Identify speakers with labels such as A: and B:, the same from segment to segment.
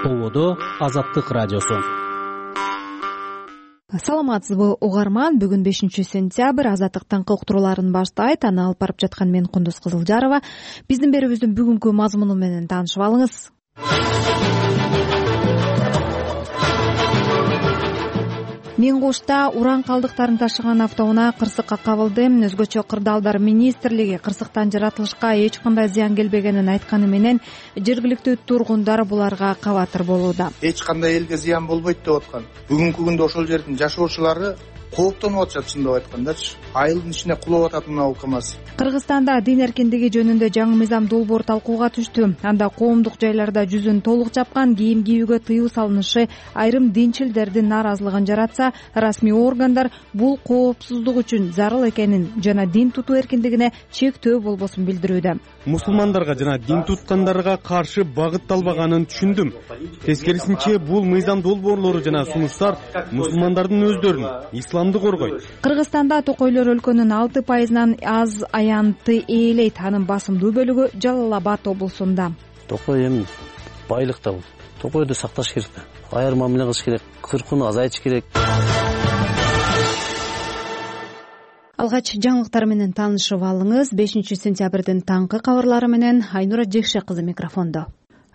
A: Ободо Азаттык радиосу.
B: Саламатсызбы угарман, бүгүн 5-сентябрь. Азаттыктын уктурууларын баштайт. Аны алып барып жаткан мен Кундуз Кызылжарова. Биздин берүүбүздүн бүгүнкү мазмуну менен таанышып алыңыз. Мен Кошта уран калдыктарын ташыган автоунаа кырсыкка кабылды. Өзгөчө Кырдаалдар министрлиги кырсыктан жаратылышка эч кандай зыян келбегенин айтканы менен жергиликтүү тургундар буларга кабатыр болууда.
C: Эч кандай элге зыян болбойт деп аткан. Бүгүнкү күндө ошол жердин жашоочулары кооптонуп атышат, чындап айткандачы. Айылдын ичине кулап атат мына бул КАМАЗ.
B: Кыргызстанда дин эркиндиги жөнүндө жаңы мыйзам долбоор талкууга түштү. Анда коомдук жайларда жүзүн толук жапкан кийим кийүүгө тыюу салынышы айрым динчилдердин нааразылыгын жаратса, расмий органдар бул коопсуздук үчүн зарыл экенин жана дин тутуу эркиндигине чектөө болбосун билдирүүдө.
D: Мусулмандарга жана дин туткандарга каршы багытталбаганын түшүндүм. Тескерисинче, бул мыйзам долбоорлору жана сунуштар мусулмандардын өздөрүн, исламды коргойт.
B: Кыргызстанда токойлор өлкөнүн 6%-нан аз аянтты ээлейт. Анын басымдуу бөлүгү Жалал Абад облусунда.
E: Токой эми байлык да бул. Токойду сакташ керек да. Айыр мамиле кылыш керек, кыркууну азайтыш керек.
B: Алгач жаңылыктар менен таанышып алыңыз. 5-сентябрдин таңкы кабарлары менен Айнура Жекше кызы микрофондо.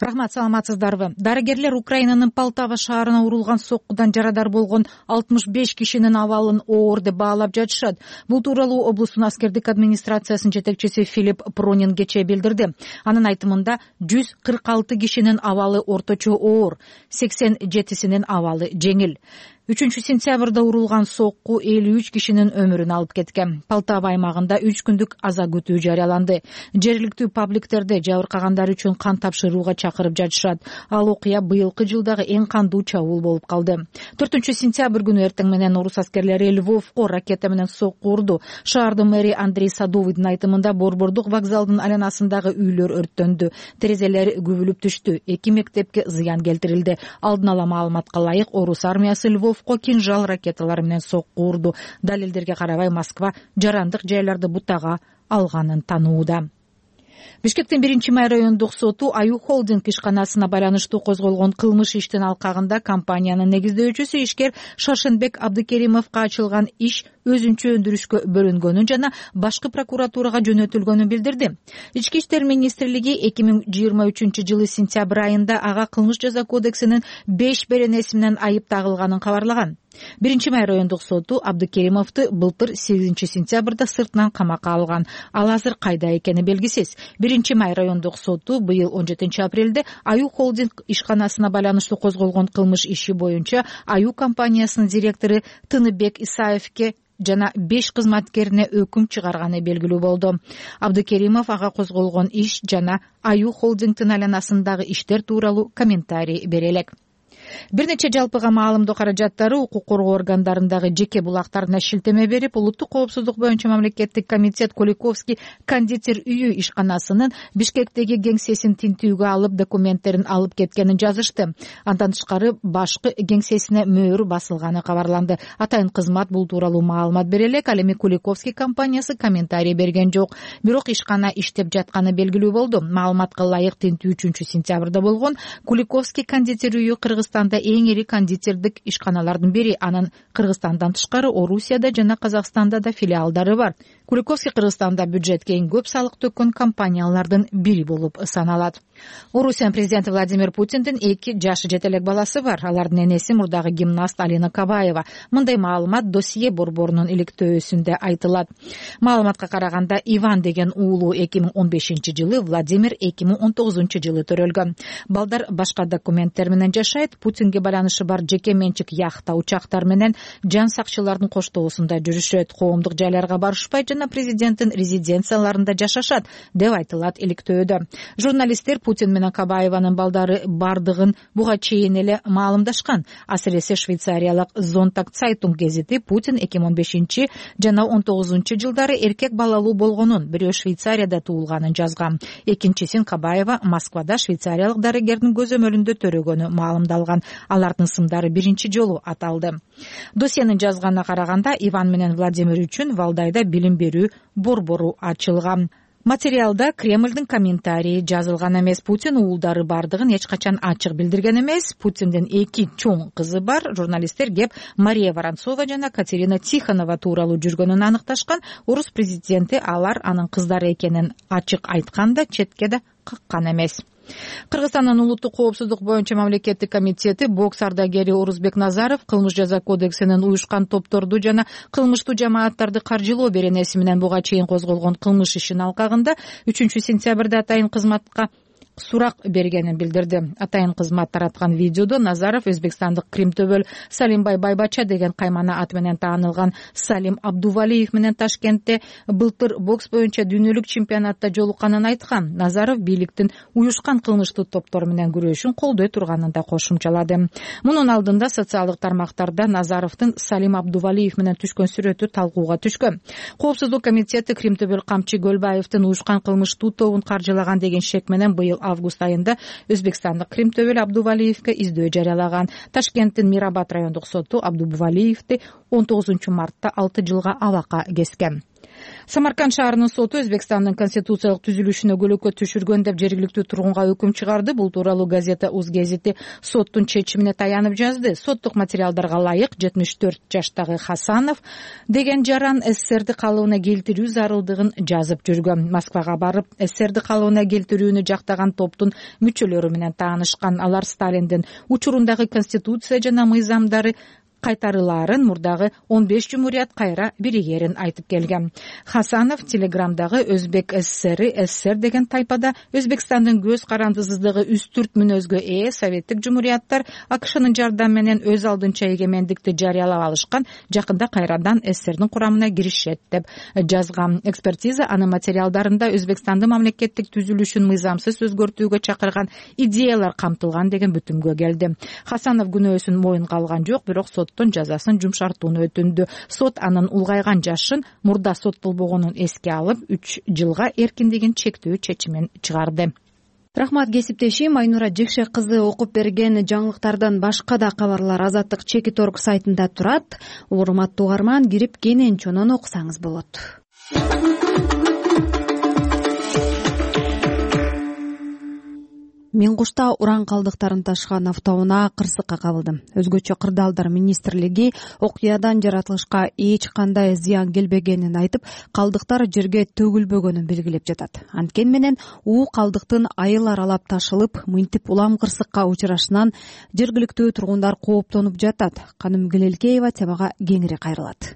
F: Рахмат, саламатсыздарбы? Дарыгерлер Украинанын Полтава шаарына урулган соккудан жарадар болгон 65 кишинин абалын оор деп баалап жатышат. Бул тууралуу облустун аскердик администрациясынын жетекчиси Филипп Пронин кечээ билдирди. Анын айтымында 146 кишинин абалы орточо оор, 87синин абалы жеңил. 3-сентябрда урулган сокку 53 кишинин өмүрүн алып кеткен. Полтава аймагында 3 күндүк аза күтүү жарыяланды. Жергиликтүү пабликтерде жабыркагандар үчүн кан тапшырууга чакырып жатышат. Ал окуя быйылкы жылдагы эң кандуу чабуул болуп калды. 4-сентябрь күнү эртең менен орус аскерлери Львовко ракета менен сокку урду. Шаардын мэри Андрей Садовыйдын айтымында борбордук вокзалдын айланасындагы үйлөр өрттөндү. Терезелери күбүлүп түштү. 2 мектепке зыян келтирилди. Алдын ала маалыматка ылайык, орус армиясы Львовко кинжал ракеталары менен сокку урду. Далилдерге карабай Москва жарандык жайларды бутага алганын танууда. Бишкектин 1-май райондук соту Аю холдинг ишканасына байланыштуу козголгон кылмыш иштин алкагында компаниянын негиздөөчүсү ишкер Шаршенбек Абдыкеримовго ачылган иш өзүнчө өндүрүшкө бөлүнгөнүн жана башкы прокуратурага жөнөтүлгөнүн билдирди. Ички иштер министрлиги 2023-жылы сентябрь айында ага кылмыш жаза кодексинин 5 беренеси менен айып тагылганын кабарлаган. 1-май райондук соту Абдыкеримовду былтыр 8-сентябрда сыртынан камакка алган. Ал азыр кайда экени белгисиз. 1-май райондук соту быйыл 17-апрелде Аю холдинг ишканасына байланыштуу козголгон кылмыш иши боюнча Аю компаниясынын директору Тыныбек Исаевке жана 5 кызматкерине өкүм чыгарганы белгилүү болду. Абдыкеримов ага козголгон иш жана Аю холдингдин айланасындагы иштер тууралуу комментарий бере элек. Бир нече жалпыга маалымдоо каражаттары укук коргоо органдарындагы жеке булактарына шилтеме берип, улуттук коопсуздук боюнча мамлекеттик комитет Куликовский кондитер үйү ишканасынын Бишкектеги кеңсесин тинтүүгө алып, документтерин алып кеткенин жазышты. Андан тышкары башкы кеңсесине мөөр басылганы кабарланды. Атайын кызмат бул тууралуу маалымат бере элек, ал эми Куликовский компаниясы комментарий берген жок. Бирок ишкана иштеп жатканы белгилүү болду. Маалыматка ылайык тинтүү 3-сентябрда болгон. Куликовский кондитер үйү Кыргызстанда эң ири кондитердик ишканалардын бири. Анын Кыргызстандан тышкары Орусияда жана Казакстанда да филиалдары бар. Куликовский Кыргызстанда бюджетке эң көп салык төккөн компаниялардын бири болуп саналат. Орусиянын президенти Владимир Путиндин 2 жашы жетелек баласы бар. Алардын энеси мурдагы гимнаст Алина Кабаева. Мындай маалымат досье борборунун иликтөөсүндө айтылат. Маалыматка караганда Иван деген уулу 2015-жылы, Владимир 2019-жылы төрөлгөн. Балдар башка документтер менен жашайт. Путинге байланышы бар жеке менчик яхта, учактар менен жан сакчылардын коштоосунда жүрүшөт. Коомдук жайларга барышпай жана президенттин резиденцияларында жашашат деп айтылат иликтөөдө. Журналисттер Путин менен Кабаеванын балдары бардыгын буга чейин эле маалымдашкан. Асыресе швейцариялык Зонтак Цайтунг гезити Путин 2015 жана 19 жылдары эркек балалуу болгонун, бирөө Швейцарияда туулганын жазган. Экинчисин Кабаева Москвада швейцариялык дарыгердин көзөмөлүндө төрөгөнү маалымдалган. Алардын сымдары биринчи жолу аталды. Досьенин жазганына караганда Иван менен Владимир үчүн Валдайда билим берүү борбору ачылган. Материалда Кремлдин комментарийи жазылган эмес. Путин уулдары бардыгын эч качан ачык билдирген эмес. Путиндин 2 чоң кызы бар. Журналисттер кеп Мария Воронцова жана Катерина Тихонова тууралуу жүргөнүн аныкташкан. Орус президенти алар анын кыздары экенин ачык айтканда четке да каккан эмес. Кыргызстандын улуттук коопсуздук боюнча мамлекеттик комитети бокс ардагери Орузбек Назаров кылмыш жаза кодексинин уюшкан топторду жана кылмыштуу жамааттарды каржылоо беренеси менен буга чейин козголгон кылмыш ишин алкагында 3-сентябрда атайын кызматка сурак бергенин билдирди. Атайын кызмат тараткан видеодо Назаров өзбекстандык Кримтөбөл Салимбай Байбача деген каймана аты менен таанылган Салим Абдувалиев менен Ташкентте былтыр бокс боюнча дүйнөлүк чемпионатта жолукканын айткан. Назаров бийликтин уюшкан кылмыштуу топтор менен күрөшүн колдой турганын да кошумчалады. Мунун алдында социалдык тармактарда Назаровдун Салим Абдувалиев менен түшкөн сүрөтү талкууга түшкөн. Коопсуздук комитети Кримтөбөл Камчы Көлбаевдин уюшкан кылмыштуу тобун каржылаган деген шек менен быйыл август айында Өзбекстандык Кримтөбөл Абдувалиевке издөө жарыялаган. Ташкенттин Мирабад райондук соту Абдувалиевди 19-мартта 6 жылга абакка кескен. Самарканд шаарынын соту Өзбекстандын конституциялык түзүлүшүнө көлөкө түшүргөн деп жергиликтүү тургунга өкүм чыгарды. Бул тууралуу газета Уз гезити соттун чечимине таянып жазды. Соттук материалдарга ылайык 74 жаштагы Хасанов деген жаран СССРди калыбына келтирүү зарылдыгын жазып жүргөн. Москвага барып СССРди калыбына келтирүүнү жактаган топтун мүчөлөрү менен таанышкан. Алар Сталиндин учурундагы конституция жана мыйзамдары кайтарылаарын, мурдагы 15 жумурият кайра биригерин айтып келген. Хасанов Телеграмдагы Өзбек СССРи СССР деген тайпада Өзбекстандын көз карандысыздыгы үстүрт мүнөзгө Советтик жумурияттар АКШнын жардамы менен өз алдынча эгемендикти жарыялап алышкан, жакында кайрадан СССРдин курамына киришет деп жазган. Экспертиза анын материалдарында Өзбекстандын мамлекеттик түзүлүшүн мыйзамсыз өзгөртүүгө чакырган идеялар камтылган деген бүтүмгө келди. Хасанов күнөөсүн моюнга алган жок, бирок жазасын жумшартууну өтүндү. Сот анын улгайган жашын мурда соттолбогонун эске алып 3 жылга эркиндигин чектөө чечимин чыгарды.
B: Рахмат кесиптешим Айнура Жекше кызы окуп берген жаңылыктардан башка да кабарлар Азаттык Чекит.орг сайтында турат. Урматтуу угарман, кирип кенен чонон окусаңыз болот. Миң кушта уран калдыктарын ташыган автоунаа кырсыкка кабылды. Өзгөчө Кырдаалдар министрлиги окуядан жаратылышка эч кандай зыян келбегенин айтып, калдыктар жерге төгүлбөгөнүн белгилеп жатат. Анткени менен уу калдыктын айыл аралап ташылып, мынтип улам кырсыкка учурашынан жергиликтүү тургундар кооптонуп жатат. Каным Гелелкеева темага кеңири кайрылат.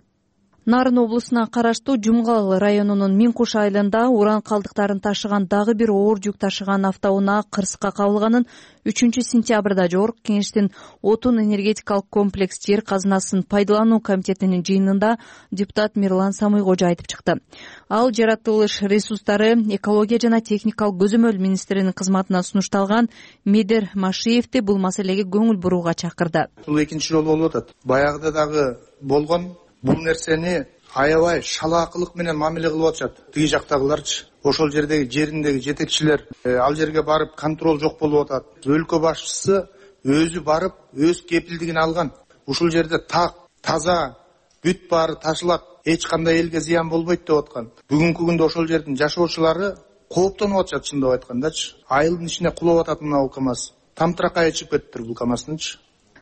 G: Нарын облусуна караштуу Жумгал районунун Миң Куш айылында уран калдыктарын ташыган дагы бир оор жүк ташыган автоунаа кырсыкка кабылганын 3-сентябрда Жогорку Кеңештин отун энергетикалык комплекс жер казынасын пайдалануу комитетинин жыйынында депутат Мирлан Самыйкожо айтып чыкты. Ал жаратылыш ресурстары, экология жана техникалык көзөмөл министринин кызматына сунушталган Медер Машиевди бул маселеге көңүл бурууга чакырды.
C: Бул экинчи жолу болуп атат. Баягыда дагы болгон. Бул нерсени аябай шалаакылык менен мамиле кылып атышат. Тиги жактагыларчы, ошол жериндеги жетекчилер ал жерге барып контроль жок болуп атат. Өлкө башчысы өзү барып, өз кепилдигин алган. Ушул жерде так, таза, бүт баары ташылат, эч кандай элге зыян болбойт деп аткан. Бүгүнкү күндө ошол жердин жашоочулары кооптонуп атышат, чындап айткандачы. Айылдын ичине кулап атат мына КАМАЗ. Тамтыракка чыгып кетиптир бул КАМАЗдынчы.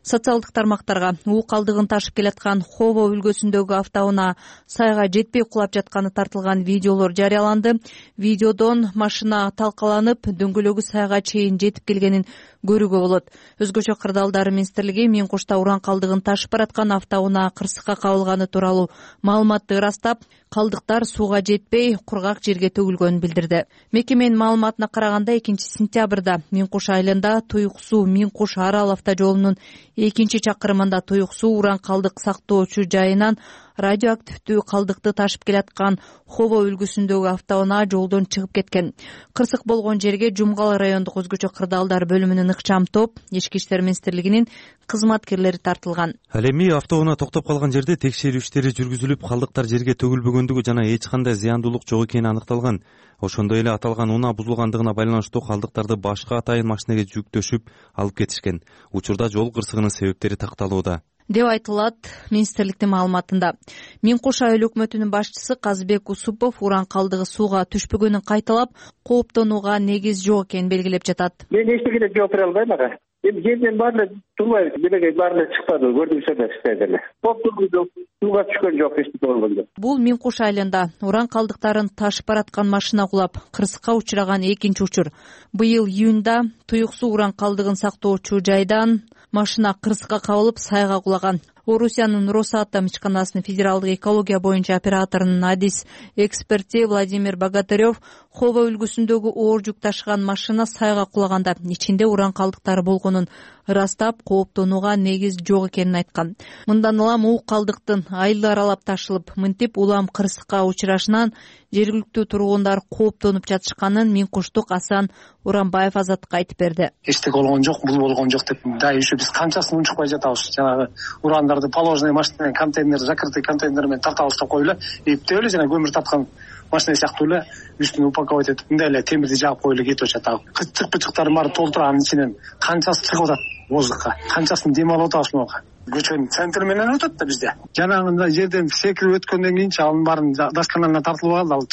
G: Социалдык тармактарга уу калдыгын ташып келаткан Хово өлкөсүндөгү автоунаа сайга жетпей кулап жатканы тартылган видеолор жарыяланды. Видеодон машина талкаланып, дөңгөлөгү сайга чейин жетип келгенин көрүүгө болот. Өзгөчө Кырдаалдар министрлиги Миң Кушта уран калдыгын ташып бараткан автоунаа кырсыкка кабылганы тууралуу маалыматты ырастап, калдыктар сууга жетпей, кургак жерге төгүлгөнүн билдирди. Мекеменин маалыматына караганда 2-сентябрда Миң Куш айылында Туюк суу Миң Куш Арал автожолунун 2-чакырымында Туюк суу уран калдык сактоочу жайынан радиоактивдүү калдыкты ташып келаткан Хово үлгүсүндөгү автоунаа жолдон чыгып кеткен. Кырсык болгон жерге Жумгал райондук өзгөчө Кырдаалдар бөлүмүнүн ыкчам топ, Ички иштер министрлигинин кызматкерлери тартылган.
H: Ал эми автоунаа токтоп калган жерде текшерүү иштери жүргүзүлүп, калдыктар жерге төгүлбөгөндүгү жана эч кандай зыяндуулук жок экени аныкталган. Ошондой эле аталган унаа бузулгандыгына байланыштуу калдыктарды башка атайын машинеге жүктөшүп алып кетишкен. Учурда жол кырсыгынын себептери такталууда.
G: деп айтылат министрликтин маалыматында. Миң Куш айыл өкмөтүнүн башчысы Казбек Усупов уран калдыгы сууга түшпөгөнүн кайталап, кооптонууга негиз жок экенин белгилеп жатат.
I: Мен эчтекеге жооп бере албайм ага. Жерден баары турбайбыз, делеге баары чыкпады, көрдүңүздөр эле. Сууга түшкөн жок, эчтеке болгон жок.
G: Бул Миң Куш айылында уран калдыктарын ташып бараткан машина кулап, кырсыкка учураган экинчи учур. Быйыл июнда Туюк суу уран калдыгын сактоочу жайдан машина кырсыкка кабылып, сайга кулаган. Орусиянын Росатом ишканасынын федералдык экология боюнча операторунун адис эксперти Владимир Богатырев Хова үлгүсүндөгү оор жүк ташыган машина сайга кулаганда ичинде уран калдыктары болгонун ырастап, кооптонууга негиз жок экенин айткан. Мындан улам уу калдыктын айылды аралап ташылып, мынтип улам кырсыкка учурашынан жергиликтүү тургундар кооптонуп жатышканын Миң Куштук Асан Уранбаев Азаттыкка айтып берди.
J: Эчтеке болгон жок, бул болгон жок деп дайы ушу биз канчасын унчукпай жатабыз. Жанагы урандарды положенный машина менен контейнер, закрытый контейнер менен тартабыз деп коюлу, эптеп эле жана көмүр тарткан машина сыяктуу эле үстүнө упаковать этип, мындай эле темирди жаап коюлу кетип атат. Кычык-пычыктарын баары толтурганын ичинен канчасы чыгып атат воздухка, канчасын дем алып атабыз мага. Көчөнүн центри менен өтөт да бизде. Жанагындай жерден секирип өткөндөн кийинчи анын баарын досконально тартылып алды, ал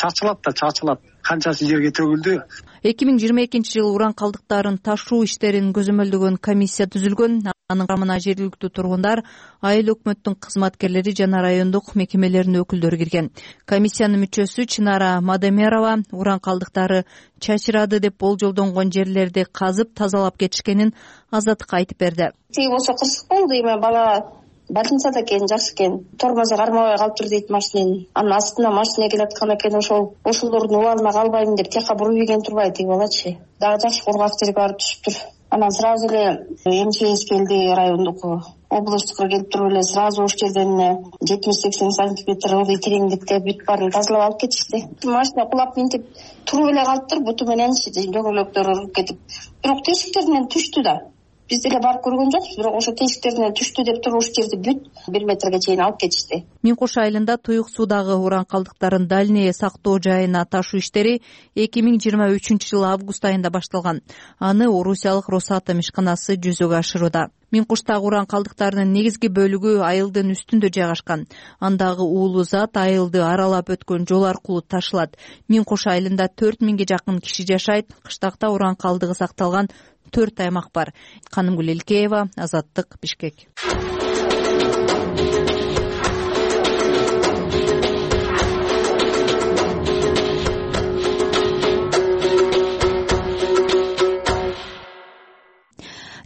J: чачылат. Канчасы жерге төгүлдү.
G: 2022-жылы уран калдыктарын ташуу иштерин көзөмөлдөгөн комиссия түзүлгөн. Анын курамына жергиликтүү тургундар, айыл өкмөттүн кызматкерлери жана райондук мекемелердин өкүлдөрү кирген. Комиссиянын мүчөсү Чынара Мадемерова уран калдыктары чачырады деп болжолдонгон жерлерди казып тазалап кетишкенин Азаттыкка айтып берди.
K: Тиги болсо кырсык болду, эми бала больницада экен, жакшы экен. Тормозу кармабай калыптыр дейт машинени. Анын астына машина келаткан экен, ошолордун убалына калбайм деп тияка буруп ийген турбайт тиги балачы. Дагы жакшы кургак жерге барып түшүптүр. Анан сразу эле МЧС келди, райондук областтыкка келип туруп эле сразу ош жерден 70-80 сантиметр ылдый тереңдикте бүт баарын тазалап алып кетишти. Машина кулап минтип туруп эле калыптыр, буту менен дөңгөлөктөр уруп кетип. Бирок тешиктеринен түштү да. Биз деле барып көргөн жокпуз, бирок ошо тешиктеринен түштү деп туруп, ушул жерди бүт 1 метрге чейин алып кетишти.
G: Миң Куш айылында Туюк суудагы уран калдыктарын дальний сактоо жайына ташуу иштери 2023-жылы август айында башталган. Аны Орусиялык Росатом ишканасы жүзөгө ашырууда. Миң Куштагы уран калдыктарынын негизги бөлүгү айылдын үстүндө жайгашкан. Андагы уулуу зат айылды аралап өткөн жол аркылуу ташылат. Миң Куш айылында 4000ге жакын киши жашайт. Кыштакта уран калдыгы сакталган 4 аймак бар. Канымгүл Элкеева, Азаттык, Бишкек.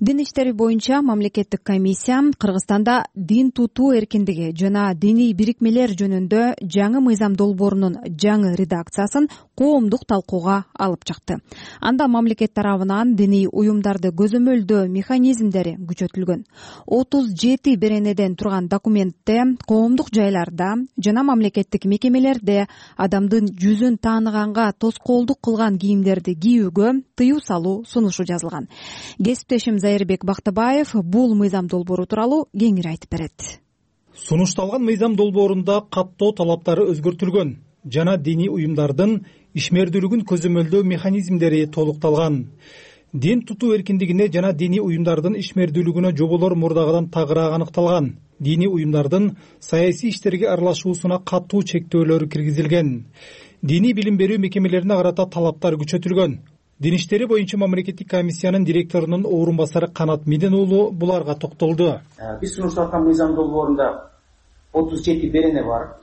B: Дин иштери боюнча мамлекеттик комиссия Кыргызстанда дин тутуу эркиндиги жана диний бирикмелер жөнүндө жаңы мыйзам долбоорунун жаңы редакциясын коомдук талкууга алып чыкты. Анда мамлекет тарабынан диний уюмдарды көзөмөлдөө механизмдери күчөтүлгөн. 37 беренеден турган документте коомдук жайларда жана мамлекеттик мекемелерде адамдын жүзүн тааныганга тоскоолдук кылган кийимдерди кийүүгө тыюу салуу сунушу жазылган. Кесиптешим Зайырбек Бактыбаев бул мыйзам долбоору тууралуу кеңири айтып берет.
L: Сунушталган мыйзам долбоорунда каттоо талаптары өзгөртүлгөн жана диний уюмдардын ишмердүүлүгүн көзөмөлдөө механизмдери толукталган. Дин тутуу эркиндигине жана диний уюмдардын ишмердүүлүгүнө жоболор мурдагыдан тагыраак аныкталган. Диний уюмдардын саясий иштерге аралашуусуна катуу чектөөлөр киргизилген. Диний билим берүү мекемелерине карата талаптар күчөтүлгөн. Дин иштери боюнча мамлекеттик комиссиянын директорунун орун басары Канат Меден уулу буларга токтолду.
M: Биз сунушталган мыйзам долбоорунда 37 берене бар.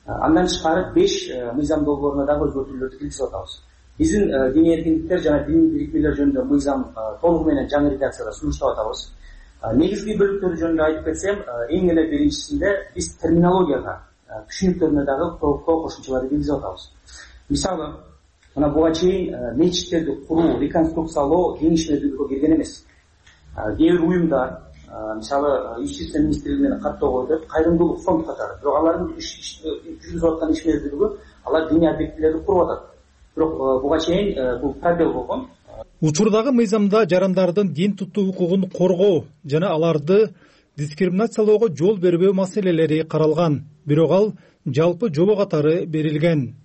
M: Андан тышкары 5 мыйзам долбооруна дагы өзгөртүүлөрдү киргизип атабыз. Биздин диний эркиндиктер жана диний бирикмелер жөнүндө мыйзам толугу менен жаңы редакцияда сунуштап атабыз. Негизги бөлүктөрү жөнүндө айтып кетсем, эң эле биринчисинде биз терминологияга, түшүнүктөрүнө дагы кошумчаларды киргизип атабыз. Мисалы, мына буга чейин мечиттерди куруу, реконструкциялоо кең ишмердүүлүккө кирген эмес. Кээ бир уюмдар, мисалы, Юстиция министрлигинин каттоо койду, кайрымдуулук фонд катары, бирок алардын жүргүзүп аткан ишмердүүлүгү алар диний объектилерди куруп атат. Бирок буга чейин бул пробел болгон.
L: Учурдагы мыйзамда жарандардын дин тутуу укугун коргоо жана аларды дискриминациялоого жол бербөө маселелери каралган, бирок ал жалпы жобо катары берилген.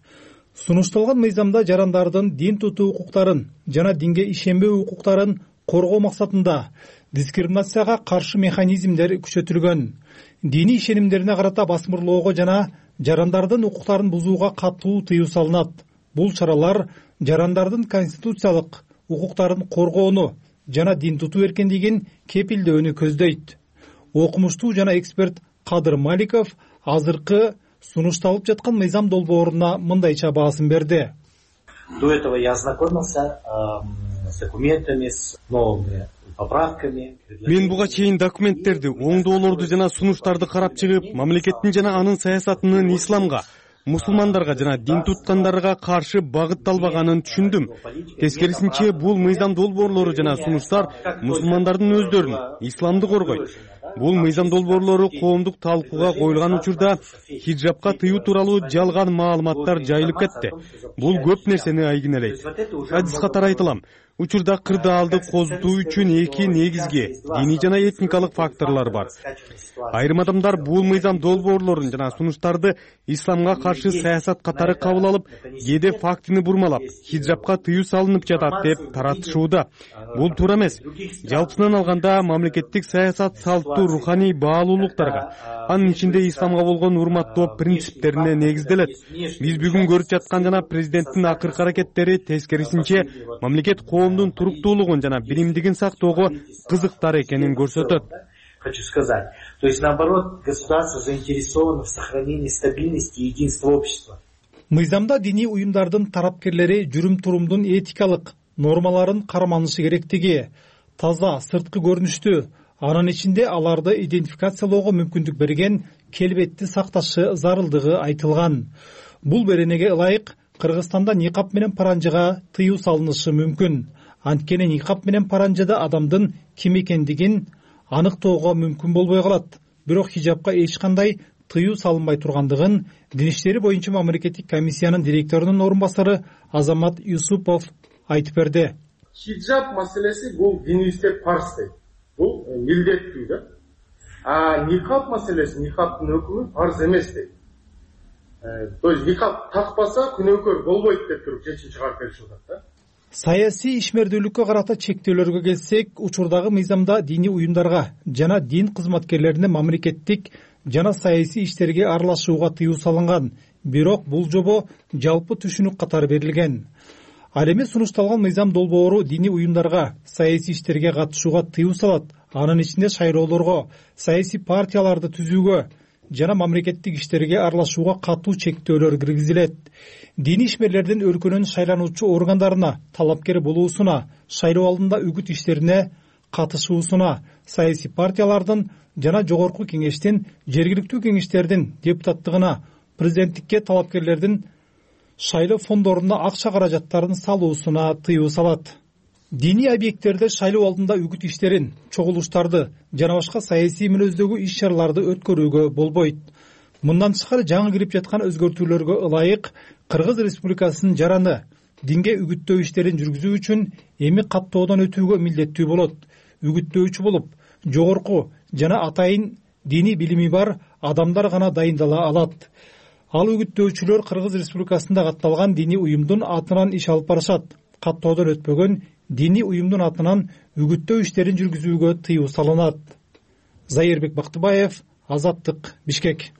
L: Сунушталган мыйзамда жарандардын дин тутуу укуктарын жана динге ишенбөө укуктарын коргоо максатында дискриминацияга каршы механизмдер күчөтүлгөн. Диний ишенимдерине карата басмырлоого жана жарандардын укуктарын бузууга катуу тыюу салынат. Бул чаралар жарандардын конституциялык укуктарын коргоону жана дин тутуу эркиндигин кепилдөөнү көздөйт. Окумуштуу жана эксперт Кадыр Маликов азыркы сунушталып жаткан мыйзам долбооруна мындайча баасын берди.
M: До этого я ознакомился с документами, с новыми поправками.
D: Мен буга чейин документтерди, оңдоолорду жана сунуштарды карап чыгып, мамлекеттин жана анын саясатынын исламга, мусулмандарга жана дин туткандарга каршы багытталбаганын түшүндүм. Тескерисинче, бул мыйзам долбоорлору жана сунуштар мусулмандардын өздөрүн, исламды коргойт. Бул мыйзам долбоорлору коомдук талкууга коюлган учурда хиджабка тыюу тууралуу жалган маалыматтар жайылып кетти. Бул көп нерсени айгинелейт. Адис катары айтылам. Учурда кырдаалды козутуу үчүн эки негизги диний жана этникалык факторлор бар. Айрым адамдар бул мыйзам долбоорлорун жана сунуштарды исламга каршы саясат катары кабыл алып, кээде фактыны бурмалап, хиджабка тыюу салынып жатат деп таратышууда. Бул туура эмес. Жалпысынан алганда мамлекеттик саясат салттуу руханий баалуулуктарга, анын ичинде исламга болгон урматтоо принциптерине негизделет. Биз бүгүн көрүп жаткан жана президенттин акыркы аракеттери тескерисинче мамлекет коомдун туруктуулугун жана биримдигин сактоого кызыктар экенин көрсөтөт.
M: Хочу сказать, то есть наоборот, государство заинтересовано в сохранении стабильности и единства общества.
L: Мыйзамда диний уюмдардын тарапкерлери жүрүм-турумдун этикалык нормаларын карманышы керектиги, таза сырткы көрүнүштү, анын ичинде аларды идентификациялоого мүмкүндүк берген келбетти сакташы зарылдыгы айтылган. Бул беренеге ылайык Кыргызстанда никап менен паранжыга тыюу салынышы мүмкүн. Анткени никап менен паранжыда адамдын ким экендигин аныктоого мүмкүн болбой калат. Бирок хижабка эч кандай тыюу салынбай тургандыгын Дин иштери боюнча мамлекеттик комиссиянын директорунун орун басары Азамат Юсупов айтып берди.
N: Хижаб маселеси бул динибизде парз дейт. Бул милдеттүү да. А никап маселеси, никаптын өкүмү парз эмес дейт. То есть никап такпаса күнөөкөр болбойт деп туруп чечим чыгарып беришип атат да.
L: Саясий ишмердүүлүккө карата чектөөлөргө келсек, учурдагы мыйзамда диний уюмдарга жана дин кызматкерлерине мамлекеттик жана саясий иштерге аралашууга тыюу салынган. Бирок бул жобо жалпы түшүнүк катары берилген. Ал эми сунушталган мыйзам долбоору диний уюмдарга саясий иштерге катышууга тыюу салат. Анын ичинде шайлоолорго, саясий партияларды түзүүгө жана мамлекеттик иштерге аралашууга катуу чектөөлөр киргизилет. Диний ишмерлердин өлкөнүн шайлануучу органдарына талапкер болуусуна, шайлоо алдында үгүт иштерине катышуусуна, саясий партиялардын жана жогорку кеңештин, жергиликтүү кеңештердин депутаттыгына, президенттикке талапкерлердин шайлоо фондоруна акча каражаттарын салуусуна тыюу салат. Диний объекттерде шайлоо алдында үгүт иштерин, чогулуштарды жана башка саясий мүнөздөгү иш-чараларды өткөрүүгө болбойт. Мындан тышкары жаңы кирип жаткан өзгөртүүлөргө ылайык Кыргыз Республикасынын жараны динге үгүттөө иштерин жүргүзүү үчүн эми каттоодон өтүүгө милдеттүү болот. Үгүттөөчү болуп, жогорку жана атайын диний билими бар адамдар гана дайындала алат. Ал үгүттөөчүлөр Кыргыз Республикасында катталган диний уюмдун атынан иш алып барышат. Каттоодон өтпөгөн диний уюмдун атынан үгүттөө иштерин жүргүзүүгө тыюу салынат. Зайырбек Бактыбаев, Азаттык, Бишкек.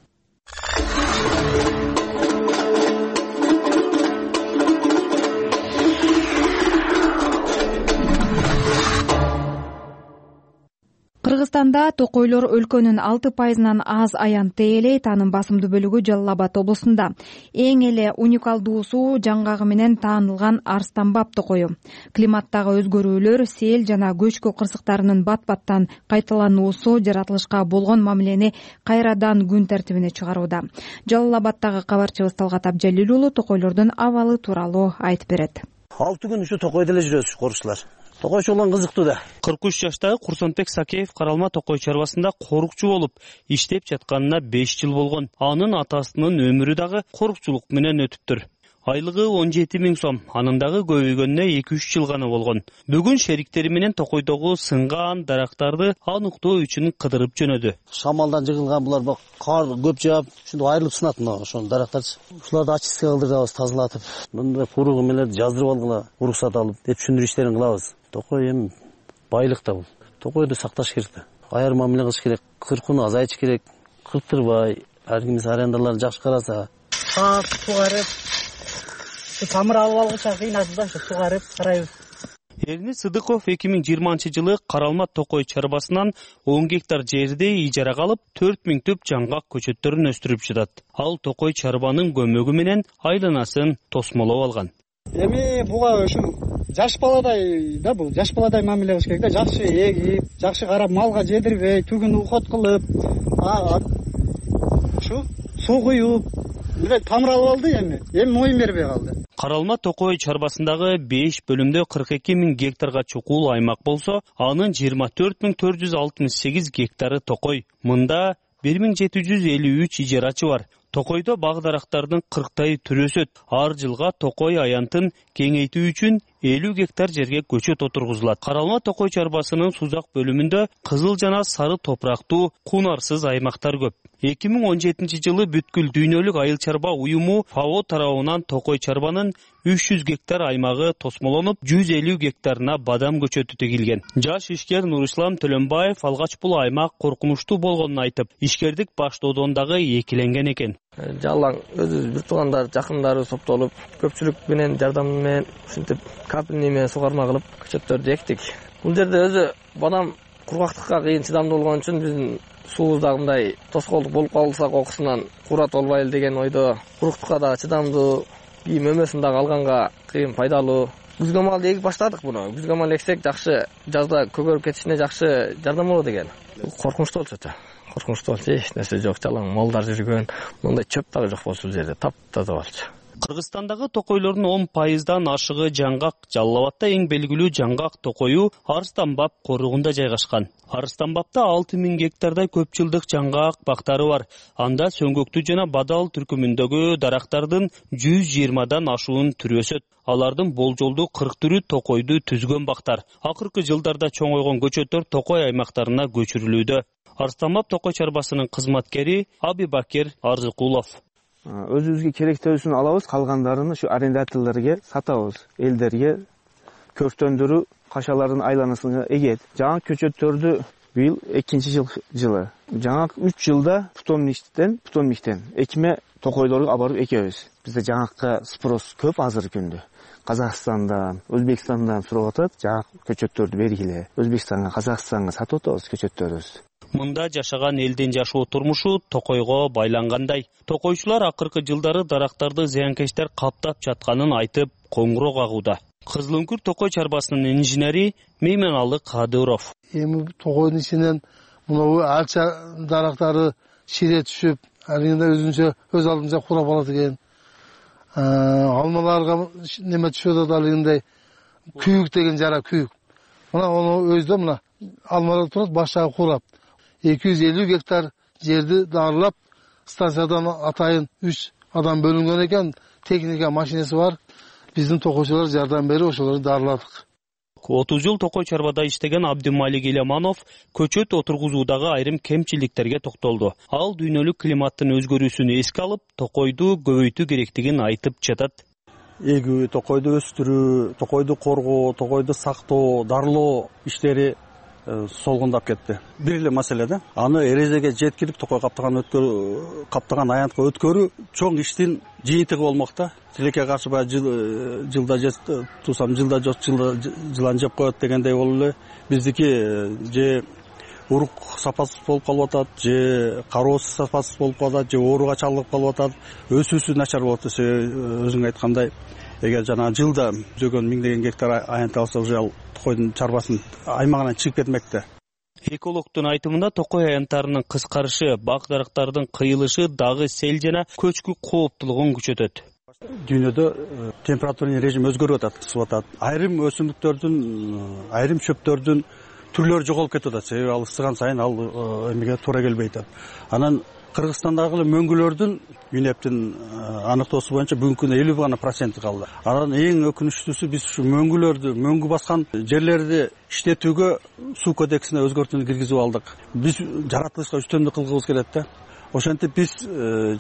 B: Кыргызстанда токойлор өлкөнүн 6%-нан аз аянтты ээлейт. Анын басымдуу бөлүгү Жалал Абад облусунда. Эң эле уникалдуусу жаңгагы менен таанылган арстанбап токою. Климаттагы өзгөрүүлөр, сел жана көчкү кырсыктарынын бат-баттан кайталануусу жаратылышка болгон мамилени кайрадан күн тартибине чыгарууда. Жалал Абадтагы кабарчыбыз Талгат Абжалил уулу токойлордун абалы тууралуу айтып берет.
E: 6 күн ушу токойдо эле жүрөбүз, корукчулар. Токойчу болгон кызыктуу да.
A: 43 жаштагы Курсонбек Сакеев Каралма токой чарбасында корукчу болуп иштеп жатканына 5 жыл болгон. Анын атасынын өмүрү дагы корукчулук менен өтүптүр. Айлыгы 17 000 сом, анын дагы көбөйгөнүнө 2-3 жыл гана болгон. Бүгүн шериктери менен токойдогу сынган дарактарды аныктоо үчүн кыдырып жөнөдү.
E: Шамалдан жыгылган булар кар көп жаап, ушунда айрылып сынат мына ошол дарактарчы. Ушуларды очистка кылдырабыз, тазалатып, мындай куругу менен жаздырып алгыла, уруксат алып, деп түшүндүрүү иштерин кылабыз. Токой эми байлык да бул. Токойду сакташ керек да. Айыр мамиле кылыш керек, кыркууну азайтыш керек, кырктырбай, ар кимиз арендаларды жакшы караса.
O: Сугарып, тамыр алып алгыча кыйнашып да сугарып карайбыз.
A: Эрнис Сыдыков 2020-жылы Каралма Токой чарбасынан 10 гектар жерди ижарага алып, 4000 түп жаңгак көчөттөрүн өстүрүп жатат. Ал Токой чарбанын көмөгү менен айланасын тосмолоп алган.
O: Эми буга ушул жаш баладай да, бул жаш баладай мамиле кылыш керек да, жакшы эгип, жакшы карап, малга жедирбей, түгүн ухот кылып, ушу суу куюп, тамыр алып алды. Эми моюн бербей калды.
A: Каралма Токой чарбасындагы 5 бөлүмдө 42 000 гектарга чукул аймак болсо, анын 24 468 гектары Токой. Мында 1753 ижарачы бар. Токойдо баг-дарактардын 40тайы түрү өсөт. Ар жылга Токой аянтын кеңейтүү үчүн 50 гектар жерге көчөт отургузулат. Каралма Токой чарбасынын сузак бөлүмүндө кызыл жана сары топурактуу кунарсыз аймактар көп. 2017-жылы бүткүл дүйнөлүк айыл чарба уюму ФАО тарабынан Токой чарбанын 300 гектар аймагы тосмолонуп, 150 гектарына бадам көчөтү тегилген. Жаш ишкер Нурислам Төлөнбаев алгач бул аймак коркунучтуу болгонун айтып, ишкердик баштоодон дагы экиленген экен.
P: Жалаң өзүбүз бир туугандар, жакындары топтолуп, көпчүлүк менен жардам менен ушинтип капельный менен сугарма кылып көчөттөрдү эктик. Бул жерде өзү бадам кургактыкка кыйын чыдамдуу болгон үчүн биздин суубуз дагы мындай тоскоолдук болуп калса кокусунан курат болбайлы деген ойдо, куруктукка да чыдамдуу, кийим өмөсүн дагы алганга кыйын пайдалуу. Күзгө маал эгип баштадык буну. Күзгө маал эксек жакшы, жазда көгөрүп кетишине жакшы жардам болот экен. Коркунучтуу болчу да. Коркунучтуу болчу, эч нерсе жок, жалаң молдар жүргөн, мындай чөп дагы жок болчу бул жерде, таптаза болчу.
A: Кыргызстандагы токойлордун 10% ашыгы жаңгак. Жалал Абадта эң белгилүү жаңгак токою Арыстанбаб коругунда жайгашкан. Арыстанбабта 6000 гектардай көп жылдык жаңгак бактары бар. Анда сөңгөктүү жана бадал түркүмүндөгү дарактардын 120дан ашуун түрү өсөт. Алардын болжолдуу 40 түрү токойду түзгөн бактар. Акыркы жылдарда чоңойгон көчөттөр Токой аймактарына көчүрүлүүдө. Арыстанбаб Токой чарбасынын кызматкери Абибакир Арзыкулов.
Q: Өзүбүзгө керектүүсүн алабыз, калгандарын ушу арендаторлорго сатабыз. Элдерге көктөндүрүү кашалардын айланасына эгет. Жаңа көчөттөрдү быйыл 2-жылы. Жаңа 3 жылда Путомниктен экиме токойлорго алып барып экебиз. Бизде жаңакка спрос көп азыркы күндө. Казакстандан, Өзбекстандан сурап атат, жаңа көчөттөрдү бергиле. Өзбекстанга, Казакстанга сатып атабыз көчөттөрүбүз.
A: Мында жашаган элдин жашоо турмушу токойго байлангандай. Токойчулар акыркы жылдары дарактарды зыянкечтер каптап жатканын айтып, коңгуроо кагууда. Кызыл Үңкүр Токой чарбасынын инженери Мейменалы Кадыров.
R: Эми токойдун ичинен мына алча дарактары шире түшүп, алында өзүнчө өз алдынча курап алат экен. Алмаларга неме түшүп атат, алындай күйүк деген жара күйүк. Мына аны өзү мына алмалар турат, башагы курап. 250 гектар жерди дарылап, станциядан атайын 3 адам бөлүнгөн экен, техника машинеси бар. Биздин токойчулар жардам берип ошолорду дарыладык.
A: 30 жыл Токой чарбада иштеген Абдымалик Элеманов көчөт отургузуудагы айрым кемчиликтерге токтолду. Ал дүйнөлүк климаттын өзгөрүүсүн эске алып, токойду көбөйтүү керектигин айтып жатат.
S: Эгүү, токойду өстүрүү, токойду коргоо, токойду сактоо, дарылоо иштери солгундап кетти. Бир эле маселе да. Аны эрежеге жеткирип токой каптаган аянтка өткөрүү чоң иштин жыйынтыгы болмок да. Тилекке каршы жылда тусам жылда жок, жылан жеп коет дегендей болуп эле биздики же урук сапасыз болуп калып атат, же кароосу сапасыз болуп калып атат, же ооруга чалдыгып калып атат, өсүүсү начар болуп атат. Өзүң айткандай, эгер жана жылда жүзгөн миңдеген гектар аянт алса, уже ал токойдун чарбасын аймагынан чыгып кетмек да.
A: Экологтун айтымында токой аянттарынын кыскарышы, бак-дарактардын кыйылышы дагы сел жана көчкү кооптулугун күчөтөт.
S: Дүйнөдө температурный режим өзгөрүп атат, ысып атат. Айрым өсүмдүктөрдүн, айрым чөптөрдүн түрлөрү жоголуп кетип атат. Себеби ал ысыган сайын ал эмеге туура келбей атат. Анан Кыргызстандагы мөңгүлөрдүн ЮНЕПтин аныктоосу боюнча бүгүнкү күндө 50% калды. Анан эң өкүнүчтүүсү биз ушу мөңгү баскан жерлерди иштетүүгө суу кодексине өзгөртүүнү киргизип алдык. Биз жаратылышка үстөмдүк кылгыбыз келет да. ошентип биз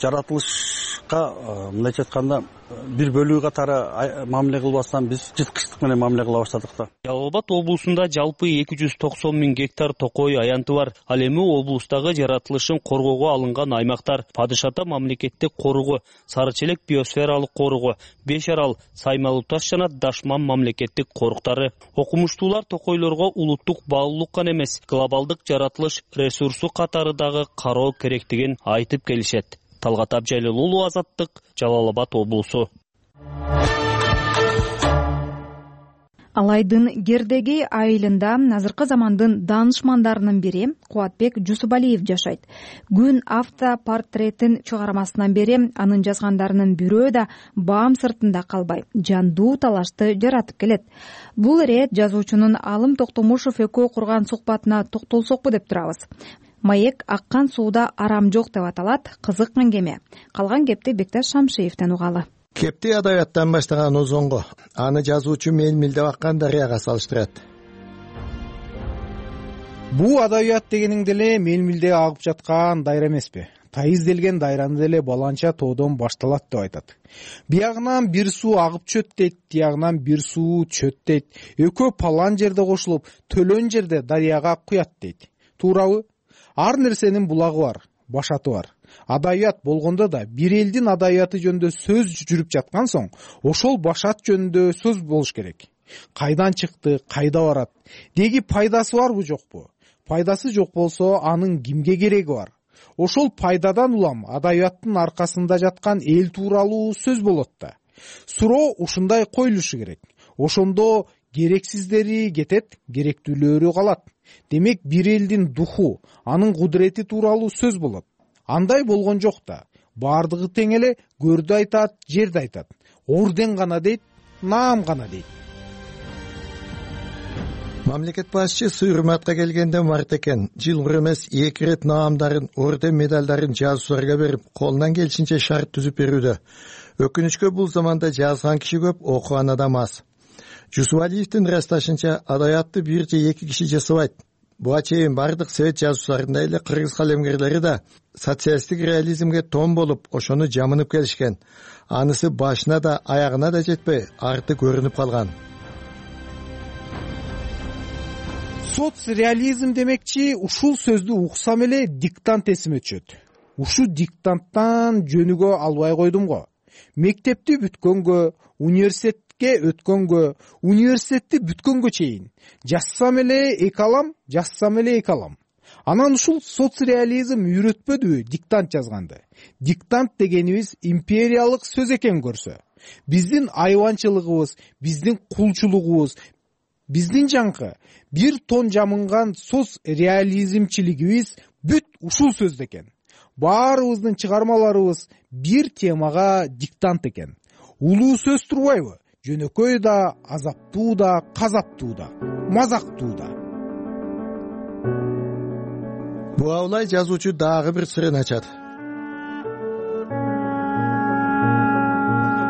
S: жаратылышка мындайча айтканда бир бөлүгү катары мамиле кылбастан биз жырткычтык менен мамиле кыла баштадык да.
A: Жалал Абад облусунда жалпы 290 000 гектар токой аянты бар. Ал эми облустагы жаратылышын коргоого алынган аймактар: Падыш ата мамлекеттик коругу, Сары Челек биосфералык коругу, Беш Арал, Саймалуу таш жана Дашман мамлекеттик коруктары. Окумуштуулар токойлорго улуттук баалуулук гана эмес, глобалдык жаратылыш ресурсу катары дагы кароо керектигин айтып келишет. Талгат Абжалил уулу, Азаттык, Жалал Абад облусу.
B: Алайдын Гердеги айылында азыркы замандын даанышмандарынын бири Кубатбек Жусупалиев жашайт. Күн автопортретин чыгармасынан бери анын жазгандарынын бирөө да баам сыртында калбай, жандуу талашты жаратып келет. Бул ирет жазуучунун Алым Токтомушев экөө курган сухбатына токтолсокпу деп турабыз. Маек аккан сууда арам жок деп аталат. Кызык меңгеме. Калган кепти Бекташ Шамшиевден угалы.
T: Кепти адабияттан баштаган озонго, аны жазуучу мелмилдеп аккан дарыяга салыштырат.
U: Бул адабият дегениң деле мелмилде агып жаткан дайра эмеспи? Тайызделген дайраны деле баланча тоодон башталат деп айтат. Биягынан бир суу агып чөт дейт, тиягынан бир суу чөт дейт. Экөө палан жерде кошулуп, төлөн жерде дарыяга куят дейт. Туурабы? Ар нерсенин булагы бар, башаты бар. Адабият болгондо да бир элдин адабияты жөнүндө сөз жүрүп жаткан соң, ошол башат жөнүндө сөз болуш керек. Кайдан чыкты, кайда барат? Деги пайдасы барбы, жокпу? Пайдасы жок болсо, анын кимге кереги бар? Ошол пайдадан улам адабияттын аркасында жаткан эл тууралуу сөз болот да. Суроо ушундай коюлушу керек. Ошондо керексиздери кетет, керектүүлөрү калат. Демек, бир элдин духу, анын кудурети тууралуу сөз болот. Андай болгон жок да. Бардыгы тең эле, көрдү айтат, жерди айтат. Орден гана дейт, наам гана дейт.
T: Мамлекет башчы Сыйырматка келгенде март экен. Жылгы эмес 2 рет наамдарын, орден медалдарын жазуучуларга берип, колунан келишинче шарт түзүп берүүдө. Өкүнүчкө бул заманда жазган киши көп, окуган адам аз. Жусупалиевдин ырасташынча, адабиятты бир же 2 киши жасабайт. Буга чейин бардык совет жазуучуларындай эле кыргыз калемгерлери да социалисттик реализмге тон болуп, ошону жамынып келишкен. Анысы башына да, аягына да жетпей, арты көрүнүп калган.
U: Соцреализм демекчи, ушул сөздү уксам эле диктант эсиме түшөт. Ушу диктанттан жөнүгө албай койдум го. Мектепти бүткөнгө, университетке өткөнгө, университетти бүткөнгө чейин жазсам эле эки алам. Анан ушул соцреализм үйрөтпөдүбү диктант жазганды? Диктант дегенибиз империялык сөз экен көрсө. Биздин айванчылыгыбыз, биздин кулчулугубуз, биздин жаңкы бир тон жамынган соцреализмчилигибиз бүт ушул сөздө экен. Баарыбыздын чыгармаларыбыз бир темага диктант экен. Улуу сөз турбайбы? Жөнөкөй да, азаптуу да, казаптуу да, мазактуу да.
T: Буга улай жазуучу дагы бир сырын ачат.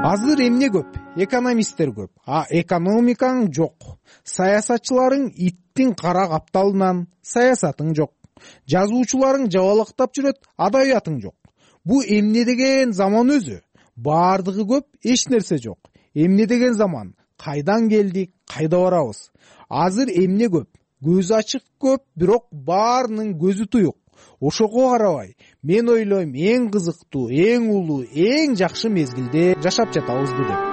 U: Азыр эмне көп? Экономисттер көп, а экономикаң жок. Саясатчыларың иттин кара капталынан, саясатың жок. Жазуучуларың жабалактап жүрөт, адабиятың жок. Бу эмне деген заман өзү? Бардыгы көп, эч нерсе жок. Эмне деген заман? Кайдан келдик, кайда барабыз? Азыр эмне көп? Көз ачык көп, бирок баарынын көзү туюк. Ошого карабай, мен ойлойм, эң кызыктуу, эң улуу, эң жакшы мезгилде жашап жатабызды деп.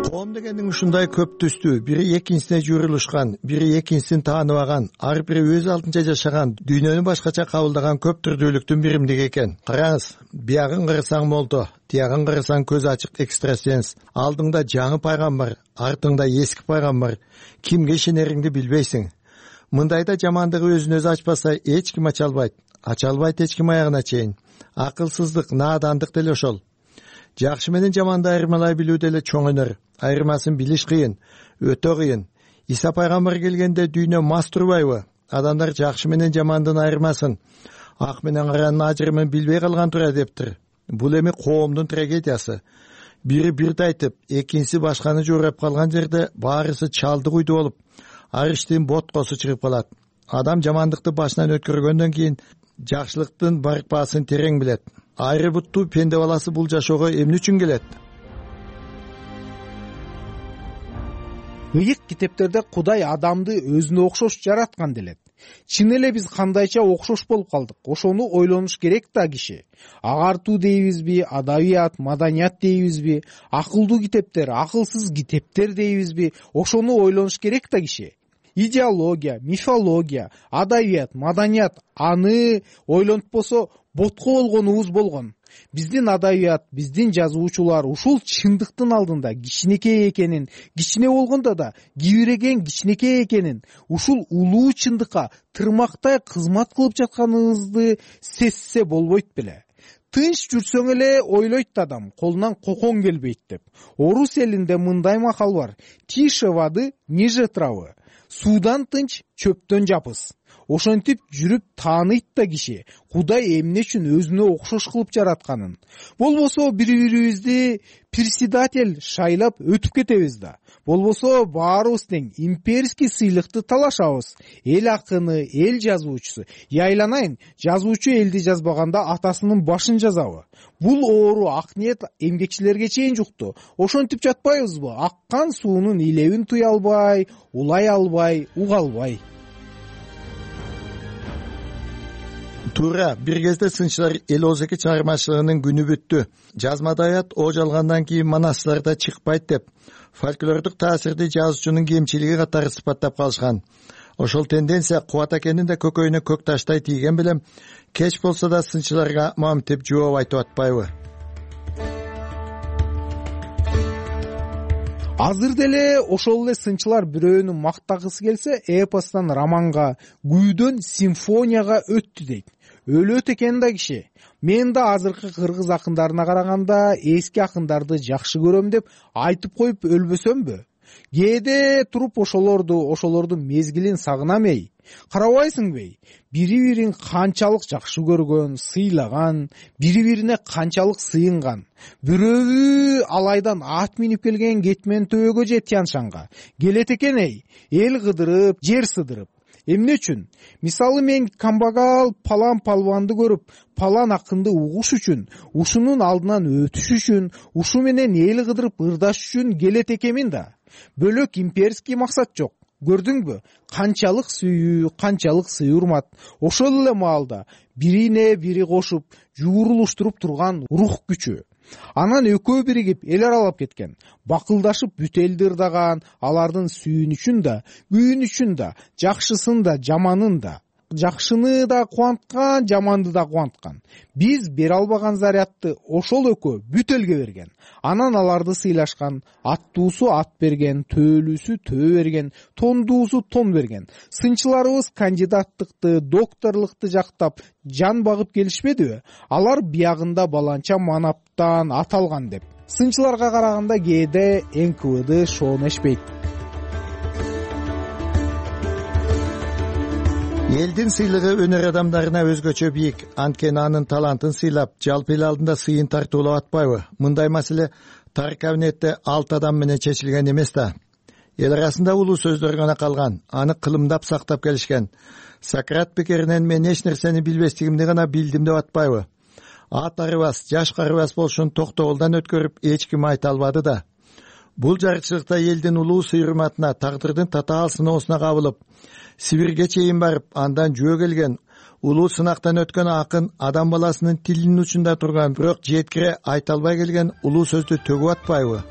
T: Коом дегендин ушундай көп түстүү, бири экинчисине журулушкан, бири экинчисин тааныбаган, ар бири өз алдынча жашаган, дүйнөнү башкача кабылдаган көп түрдүүлүктүн биримдиги экен. Караңыз, биягын кырсаң молдо, тиягын кырсаң көз ачык экстрасенс, алдыңда жаңы пайгамбар, артыңда эски пайгамбар, кимге ишенериңди билбейсиң. Мындайда жамандыгы өзүн өзү ачпаса эч ким ача албайт эч ким аягына чейин. Акылсыздык, наадандык деле ошол. Жакшы менен жаманды айырмалай билүү деле чоң өнөр. Айырмасын билиш кыйын, өтө кыйын. Иса пайгамбар келгенде дүйнө мас турбайбы? Адамдар жакшы менен жамандын айырмасын, ак менен каранын ажырымын билбей калган тура дептир. Бул эми коомдун трагедиясы. Бири бирди айтып, экинчиси башканы жоорап калган жерде баарысы чалды куйду болуп, ар иштин боткосу чыгып калат. адам жамандыкты башынан өткөргөндөн кийин жакшылыктын барпасын терең билет. Айры буттуу пенде баласы бул жашоого эмне үчүн келет?
U: Ыйык китептерде Кудай адамды өзүнө окшош жараткан делет. Чын эле биз кандайча окшош болуп калдык? Ошону ойлонуш керек да киши. Агартуу дейбизби, адабият, маданият дейбизби, акылдуу китептер, акылсыз китептер дейбизби? Ошону ойлонуш керек да киши. Идеология, мифология, адабият, маданият аны ойлонтпосо ботко болгонубуз болгон. Биздин адабият, биздин жазуучулар ушул чындыктын алдында кичинекей экенин, кичине болгондо да кибиреген кичинекей экенин, ушул улуу чындыкка тырмактай кызмат кылып жатканыбызды сезсе болбойт беле. Тынч жүрсөң эле ойлойт адам, колунан кокон келбейт деп. Орус элинде мындай макал бар: тише воды, ниже травы. Суудан тынч, чөптөн жапыс. Ошентип жүрүп тааныйт да киши Кудай эмне үчүн өзүнө окшош кылып жаратканын. Болбосо бири-бирибизди председатель шайлап өтүп кетебиз да. Болбосо баарыбыз тең имперский сыйлыкты талашабыз. Эл акыны, эл жазуучусу. Яйланайын, жазуучу элди жазбаганда атасынын башын жазабы? Бул оору ак ниет эмгекчилерге чейин жукту. Ошентип жатпайбызбы? Аккан суунун илебин туя албай, улай албай, уга албай.
T: Туура, бир кезде сынчылар эл озеки чыгармачылыгынын күнү бүттү. Жазмада аят о жалгандан кийин манастырда чыкпайт деп фольклордук таасирди жазуучунун кемчилиги катары сыпаттап калышкан. Ошол тенденция Кубат акенин да көкөйүнө көк таштай тийген билем кеч болсо да сынчыларга мамтеп жооп айтып атпайбы?
U: Азыр деле ошол эле сынчылар бирөөнү мактагысы келсе, эпостон романга, күйдөн симфонияга өттү дейт. Өлөт экен да киши. Мен да азыркы кыргыз акындарына караганда эски акындарды жакшы көрөм деп айтып коюп өлбөсөмбү? Кээде туруп ошолордун мезгилин сагынам эй. Карабайсыңбы? Бири-бирин канчалык жакшы көргөн, сыйлаган, бири-бирине канчалык сыйынган. Бирөөбү алайдан ат минип келген кетмен төбөгө же Тянь-Шанга келет экен эй. Эл кыдырып, жер сыдырып. Эмне үчүн? Мисалы мен камбагал палан палванды көрүп, палан акынды угуш үчүн, ушунун алдынан өтүш үчүн, ушу менен эл кыдырып ырдаш үчүн келет экенмин да. Бөлөк имперский максат жок. Көрдүңбү? Канчалык сүйүү, канчалык сый урмат. Ошол эле маалда бирине бири кошуп, жуурулуштуруп турган рух күчү. Анан экөө биригип эл аралап кеткен. Бакылдашып бүт элди ырдаган, алардын сүйүнүчүн да, күйүнүчүн да, жакшысын да, жаманын да. Жакшыны да кубанткан, жаманды да кубанткан. Биз бере албаган зарядты ошол экөө бүт элге берген. Анан аларды сыйлашкан. Аттуусу ат берген, төөлүүсү төө берген, тондуусу тон берген. Сынчыларыбыз кандидаттыкты, докторлукту жактап жан багып келишпедиби? Алар биягында баланча манаптан аталган деп. Сынчыларга караганда кээде НКВД шоонешпейт.
T: Элдин сыйлыгы өнөр адамдарына өзгөчө бийик. Анткени анын талантын сыйлап, жалпы эл алдында сыйын тартуулап атпайбы? Мындай маселе тар кабинетте 6 адам менен чечилген эмес да. Эл арасында улуу сөздөр гана калган. Аны кылымдап сактап келишкен. Сократ пикиринен мен эч нерсени билбестигимди гана билдим деп атпайбы? Ат арыбас, жаш карыбас болушун токтогулдан өткөрүп эч ким айта албады да. Бул жарыкчылыкта элдин улуу сый-урматына, тагдырдын татаал сыноосуна кабылып, Сибирге чейин барып, андан жөө келген, улуу сынактан өткөн акын адам баласынын тилинин учунда турган, бирок жеткире айта албай келген улуу сөздү төгүп атпайбы?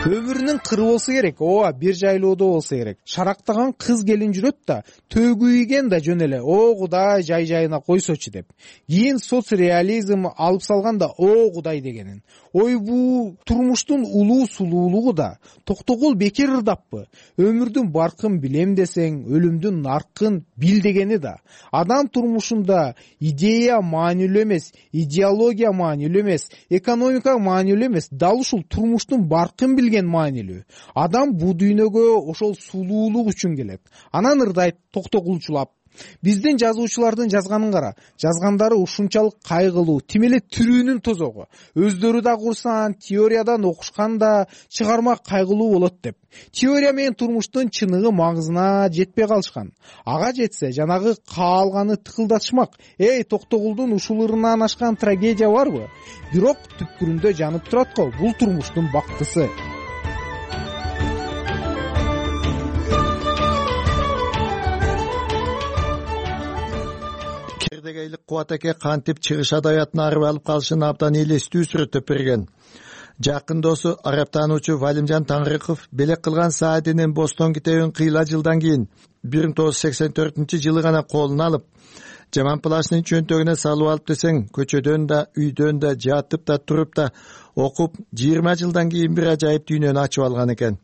U: Өмүрүнүн кыры болсо керек, ооба, бир жайлоодо болсо керек. Шарактаган кыз келин жүрөт да, төгүйген да жөн эле, о Кудай жай-жайына койсочу деп. Кийин соцреализм алып салганда, о Кудай дегенин. Ой, бул турмуштун улуу сулуулугу да. Токтогул бекер ырдаппы? Өмүрдүн баркын билем десең, өлүмдүн наркын бил дегени да. Адам турмушунда идея маанилүү эмес, идеология маанилүү эмес, экономика маанилүү эмес, дал ушул турмуштун баркын билген маанилүү. Адам бул дүйнөгө ошол сулуулук үчүн келет. Анан ырдайт токтогулчулап. Биздин жазуучулардын жазганын кара. Жазгандары ушунчалык кайгылуу, тим эле тирүүнүн тозогу. Өздөрү да курсан, теориядан окушканда чыгарма кайгылуу болот деп. Теория менен турмуштун чыныгы маңызына жетпей калышкан. Ага жетсе, жанагы каалганы тыкылдатышмак. Эй, Токтогулдун ушул ырынан ашкан трагедия барбы? Бирок түпкүрүндө жанып турат го, бул турмуштун бактысы.
T: Кердегейлик Кубат эке кантип чыгыш адабиятын арып алып калышын абдан элестүү сүрөттөп берген. Жакын досу араптануучу Валимжан Таңрыков белек кылган Саадинин Бостон китебин кыйла жылдан кийин 1984-жылы гана колуна алып, жаман плашнын чөнтөгүнө салып алып десең, көчөдөн да, үйдөн да, жатып да, туруп да окуп 20 жылдан кийин бир ажайып дүйнөнү ачып алган экен.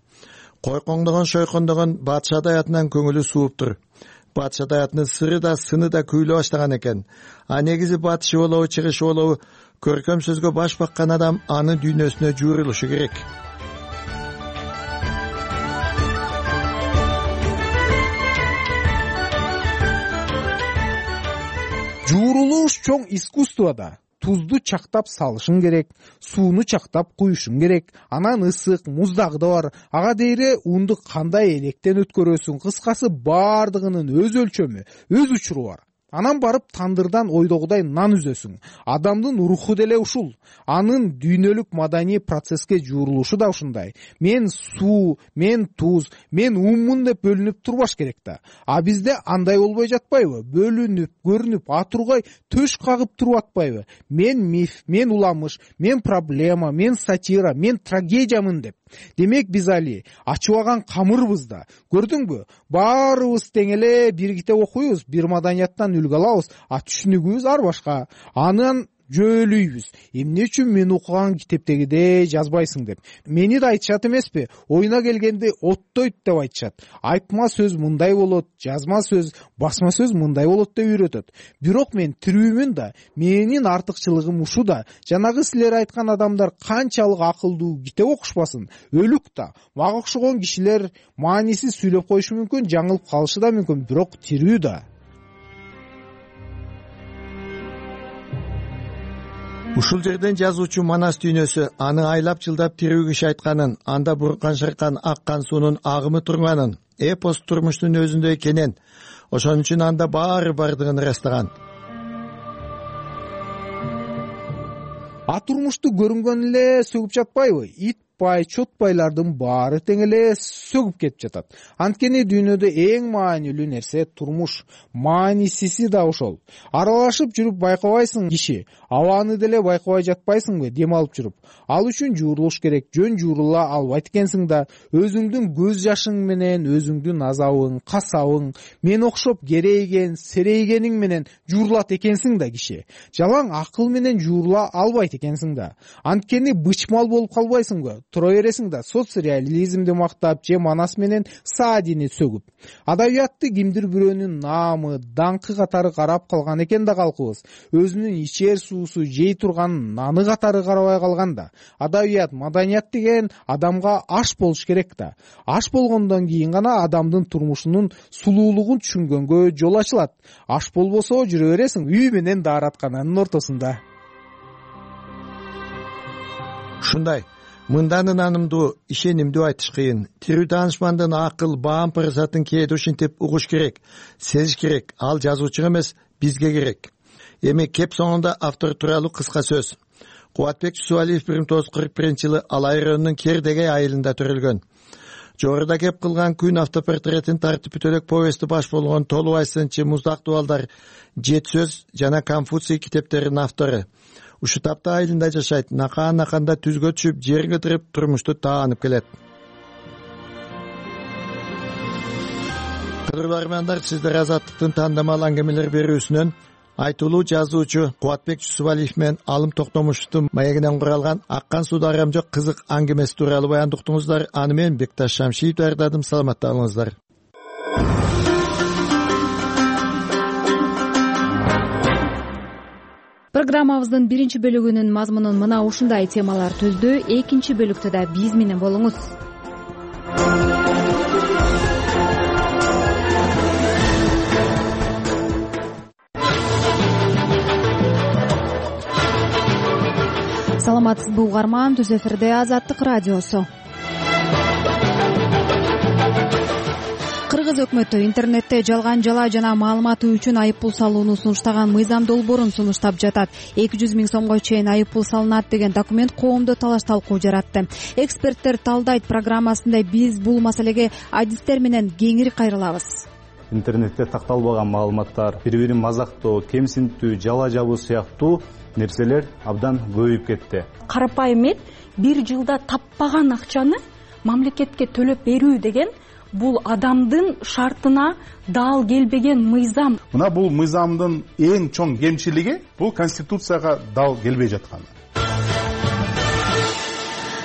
T: Койкоңдогон, шойкондогон батыш адаятынан көңүлү сууптур. Батыш адаятынын сыры да, сыны да күйлө баштаган экен. А негизи батышы болобу, чыгышы болобу, көркөм сөзгө баш баккан адам анын дүйнөсүнө жуурулушу керек.
U: Жуурулуш чоң искусствода. Тузду чактап салышың керек, сууну чактап куюшуң керек, анан ысык, муздагы да бар. Ага дейре унду кандай электен өткөрөсүң, кыскасы бардыгынын өз өлчөмү, өз учуру бар. Анан барып тандырдан ойдогудай нан үзөсүң. Адамдын руху деле ушул. Анын дүйнөлүк маданий процесске жуурулушу да ушундай. Мен суу, мен туз, мен уммун деп бөлүнүп турбаш керек да. А бизде андай болбой жатпайбы? Бөлүнүп, көрүнүп, атургай төш кагып туруп атпайбы? Мен миф, мен уламыш, мен проблема, мен сатира, мен трагедиямын деп. Демек биз али ачыбаган камырбыз да. Көрдүңбү? Баарыбыз тең эле бир китеп окуйбуз, бир маданияттан үлгү алабыз, а түшүнүгүбүз ар башка. Анан жөөлүйбүз. Эмне үчүн мен окуган китептегидей жазбайсың деп. Мени да айтышат эмеспи? Оюна келгенде оттойт деп айтышат. Айтма сөз мындай болот, жазма сөз, басма сөз мындай болот деп үйрөтөт. Бирок мен тирүүмүн да, менин артыкчылыгым ушу да. Жанагы силер айткан адамдар канчалык акылдуу китеп окушпасын, өлүк да. Мага окшогон кишилер маанисиз сүйлөп коюшу мүмкүн, жаңылып калышы да мүмкүн, бирок тирүү да.
T: Ушул жерден жазуучу Манас дүйнөсү аны айлап жылдап тирүү киши айтканын, анда буркан шыркан аккан суунун агымы турганын, эпос турмуштун өзүндө экенин, ошон үчүн анда баары бардыгын ырастаган.
U: А турмушту көрүнгөн эле сөгүп жатпайбы? Итбай, чотбайлардын баары тең эле сөгүп кетип жатат. Анткени дүйнөдө эң маанилүү нерсе турмуш. Маанисиси да ошол. Аралашып жүрүп байкабайсың киши. Абаны деле байкабай жатпайсыңбы дем алып жүрүп? Ал үчүн жуурулуш керек. Жөн жуурула албайт экенсиң да, өзүңдүн көз жашың менен, өзүңдүн азабың, касабың, мен окшоп керейген, серейгениң менен жуурулат экенсиң да киши. Жалаң акыл менен жуурула албайт экенсиң да. Анткени бычмал болуп калбайсыңбы? Тура бересиң да соцреализмди мактап же Манас менен Саадини сөгүп. Адабиятты кимдир бирөөнүн наамы, даңкы катары карап калган экен да калкыбыз. Өзүнүн ичер суусу, жей турган наны катары карабай калган да. Адабият, маданият деген адамга аш болуш керек да. Аш болгондон кийин гана адамдын турмушунун сулуулугун түшүнгөнгө жол ачылат. Аш болбосо жүрө бересиң үй менен даараткананын ортосунда.
T: Ушундай мындан ынанымдуу, ишенимдүү айтыш кыйын. Тирүү таанышмандын акыл, баам парасатын кээде ушинтип угуш керек, сезиш керек. Ал жазуучуга эмес, бизге керек. Эми кеп соңунда автор тууралуу кыска сөз. Кубатбек Жусупалиев 1941-жылы Алай районунун Кердегей айылында төрөлгөн. Жогоруда кеп кылган күн автопортретин тартып бүтөлөк повести баш болгон Толубай сынчы, Муздак дубалдар, Жет сөз жана Конфуций китептеринин автору. Ушу тапта айылында жашайт, накаан-наканда түзгө түшүп, жер кыдырып, турмушту таанып келет. Кадырлуу армяндар, сиздер Азаттыктын тандамал аңгемелер берүүсүнөн айтылуу жазуучу Кубатбек Жусупалиев менен Алым Токтомушевдун маегинен куралган Аккан сууда арам жок кызык аңгемеси тууралуу баяндап уктуңуздар. Аны мен Бекташ Шамшиев даярдадым. Саламатта болуңуздар.
B: Программабыздын биринчи бөлүгүнүн мазмунун мына ушундай темалар түздү. Экинчи бөлүктө да биз менен болуңуз. саламатсызбы угарман, түз эфирде Азаттык радиосу. Кыргыз өкмөтү интернетте жалган жала жана маалыматы үчүн айыппул салууну сунуштаган мыйзам долбоорун сунуштап жатат. 200 000 сомго чейин айыппул салынат деген документ коомдо талаш талкуу жаратты. Эксперттер талдайт программасында биз бул маселеге адистер менен кеңири кайрылабыз.
F: Интернетте такталбаган маалыматтар, бири-бирин мазактоо, кемсинтүү, жала жабуу сыяктуу нерселер абдан көбөйүп кетти.
V: Карапайым эт бир жылда таппаган акчаны мамлекетке төлөп берүү деген бул адамдын шартына дал келбеген мыйзам.
W: Мына бул мыйзамдын эң чоң кемчилиги бул конституцияга дал келбей жатканы.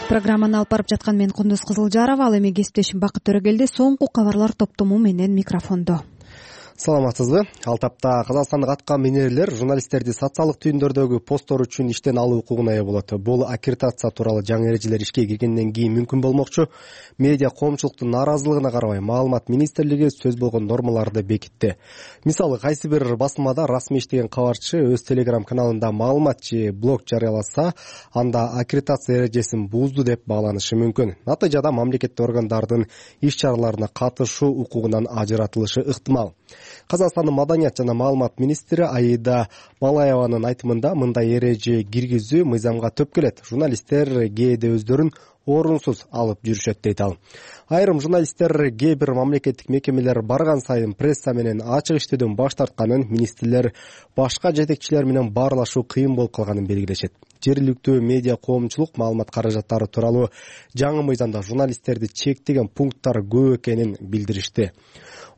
B: Программаны алып барып жаткан мен Кундуз Кызылжарова, ал эми кесиптешим Бакыт Төрөгелди соңку кабарлар топтому менен микрофондо.
X: Саламатсызбы? Ал тапта казакстандык атка минерлер журналисттерди социалдык түйүндөрдөгү посттор үчүн иштен алуу укугуна ээ болот. Бул аккредитация тууралуу жаңы эрежелер ишке киргенден кийин мүмкүн болмокчу. Медиа коомчулуктун нааразылыгына карабай Маалымат министрлиги сөз болгон нормаларды бекитти. Мисалы, кайсы бир басмада расмий иштеген кабарчы өз телеграм каналында маалымат же блог жарыяласа, анда аккредитация эрежесин бузду деп бааланышы мүмкүн. Натыйжада мамлекеттик органдардын иш-чараларына катышуу укугунан ажыратылышы ыктымал. Казакстандын маданият жана маалымат министри Аида Балаеванын айтымында мындай эреже киргизүү мыйзамга төп келет. Журналисттер кээде өздөрүн орунсуз алып жүрүшөт дейт ал. Айрым журналисттер кээ бир мамлекеттик мекемелер барган сайын пресса менен ачык иштөөдөн баш тартканын, министрлер башка жетекчилер менен баарлашуу кыйын болуп калганын белгилешет. Жергиликтүү медиа коомчулук маалымат каражаттары тууралуу жаңы мыйзамда журналисттерди чектеген пункттар көп экенин билдиришти.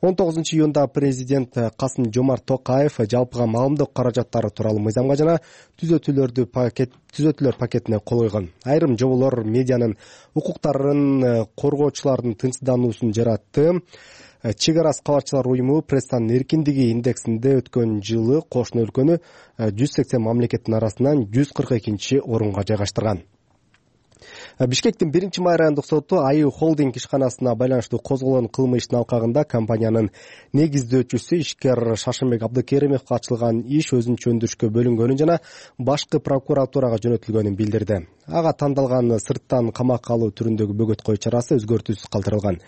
X: 19-июнда президент Касым-Жомарт Токаев жалпыга маалымдоо каражаттары тууралуу мыйзамга жана түзөтүүлөр пакетине кол койгон. Айрым жоболор медианын укуктарын коргоочулардын тынчсыздануусун жаратты. Чек арасы кабарчылар уюму пресстанын эркиндиги индексинде өткөн жылы кошуна өлкөнү 180 мамлекеттин арасынан 142-орунга жайгаштырган. Бишкектин 1-май райондук соту Аю холдинг ишканасына байланыштуу козголгон кылмыштын алкагында компаниянын негиздөөчүсү ишкер Шаршембек Абдыкеримовго ачылган иш өзүнчө өндүрүшкө бөлүнгөнүн жана башкы прокуратурага жөнөтүлгөнүн билдирди. Ага тандалган сырттан камакка алуу түрүндөгү бөгөт кою чарасы өзгөртүүсүз калтырылган.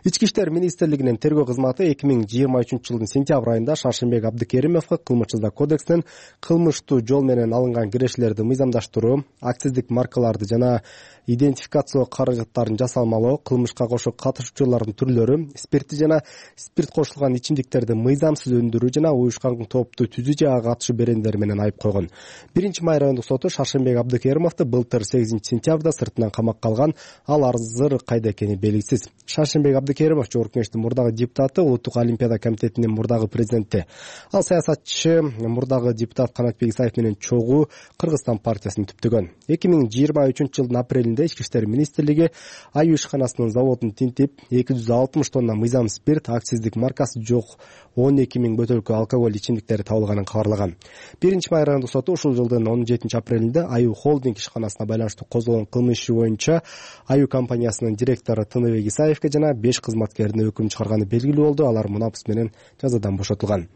X: Ички иштер министрлигинин тергөө кызматы 2023-жылдын сентябрь айында Шаршембек Абдыкеримовго кылмыш-жаза кодексинин кылмыштуу жол менен алынган кирешелерди мыйзамдаштыруу, акциздик маркаларды жана идентификациялоо каражаттарын жасалмалоо, кылмышка кошо катышуучулардын түрлөрү, спирти жана спирт кошулган ичимдиктерди мыйзамсыз өндүрүү жана уюшкан топту түзүү же ага катышы берендер менен айып койгон. 1-май райондук соту Шаршембек Абдыкеримовду былтыр 8-сентябрда сыртынан камакка алган. Ал азыр кайда экени белгисиз. Шаршембек Абдыкеримов Жогорку Кеңештин мурдагы депутаты, Улуттук олимпиада комитетинин мурдагы президенти. Ал саясатчы мурдагы депутат Канатбек Исаев менен чогуу Кыргызстан партиясын түптөгөн. 2023-жылдын апрелинде Ички иштер министрлиги Аю ишканасынын заводун тинтип 260 тонна мыйзам спирт, акциздик маркасы жок 12 000 бөтөлкө алкоголь ичимдиктери табылганын кабарлаган. 1-май райондук соту ушул жылдын 17-апрелинде Аю холдинг ишканасына байланыштуу козголгон кылмыш иши боюнча Аю компаниясынын директору Тыныбек Исаевге жана 5 кызматкерине өкүм чыгарганы белгилүү болду. Алар мунапыс менен жазадан бошотулган.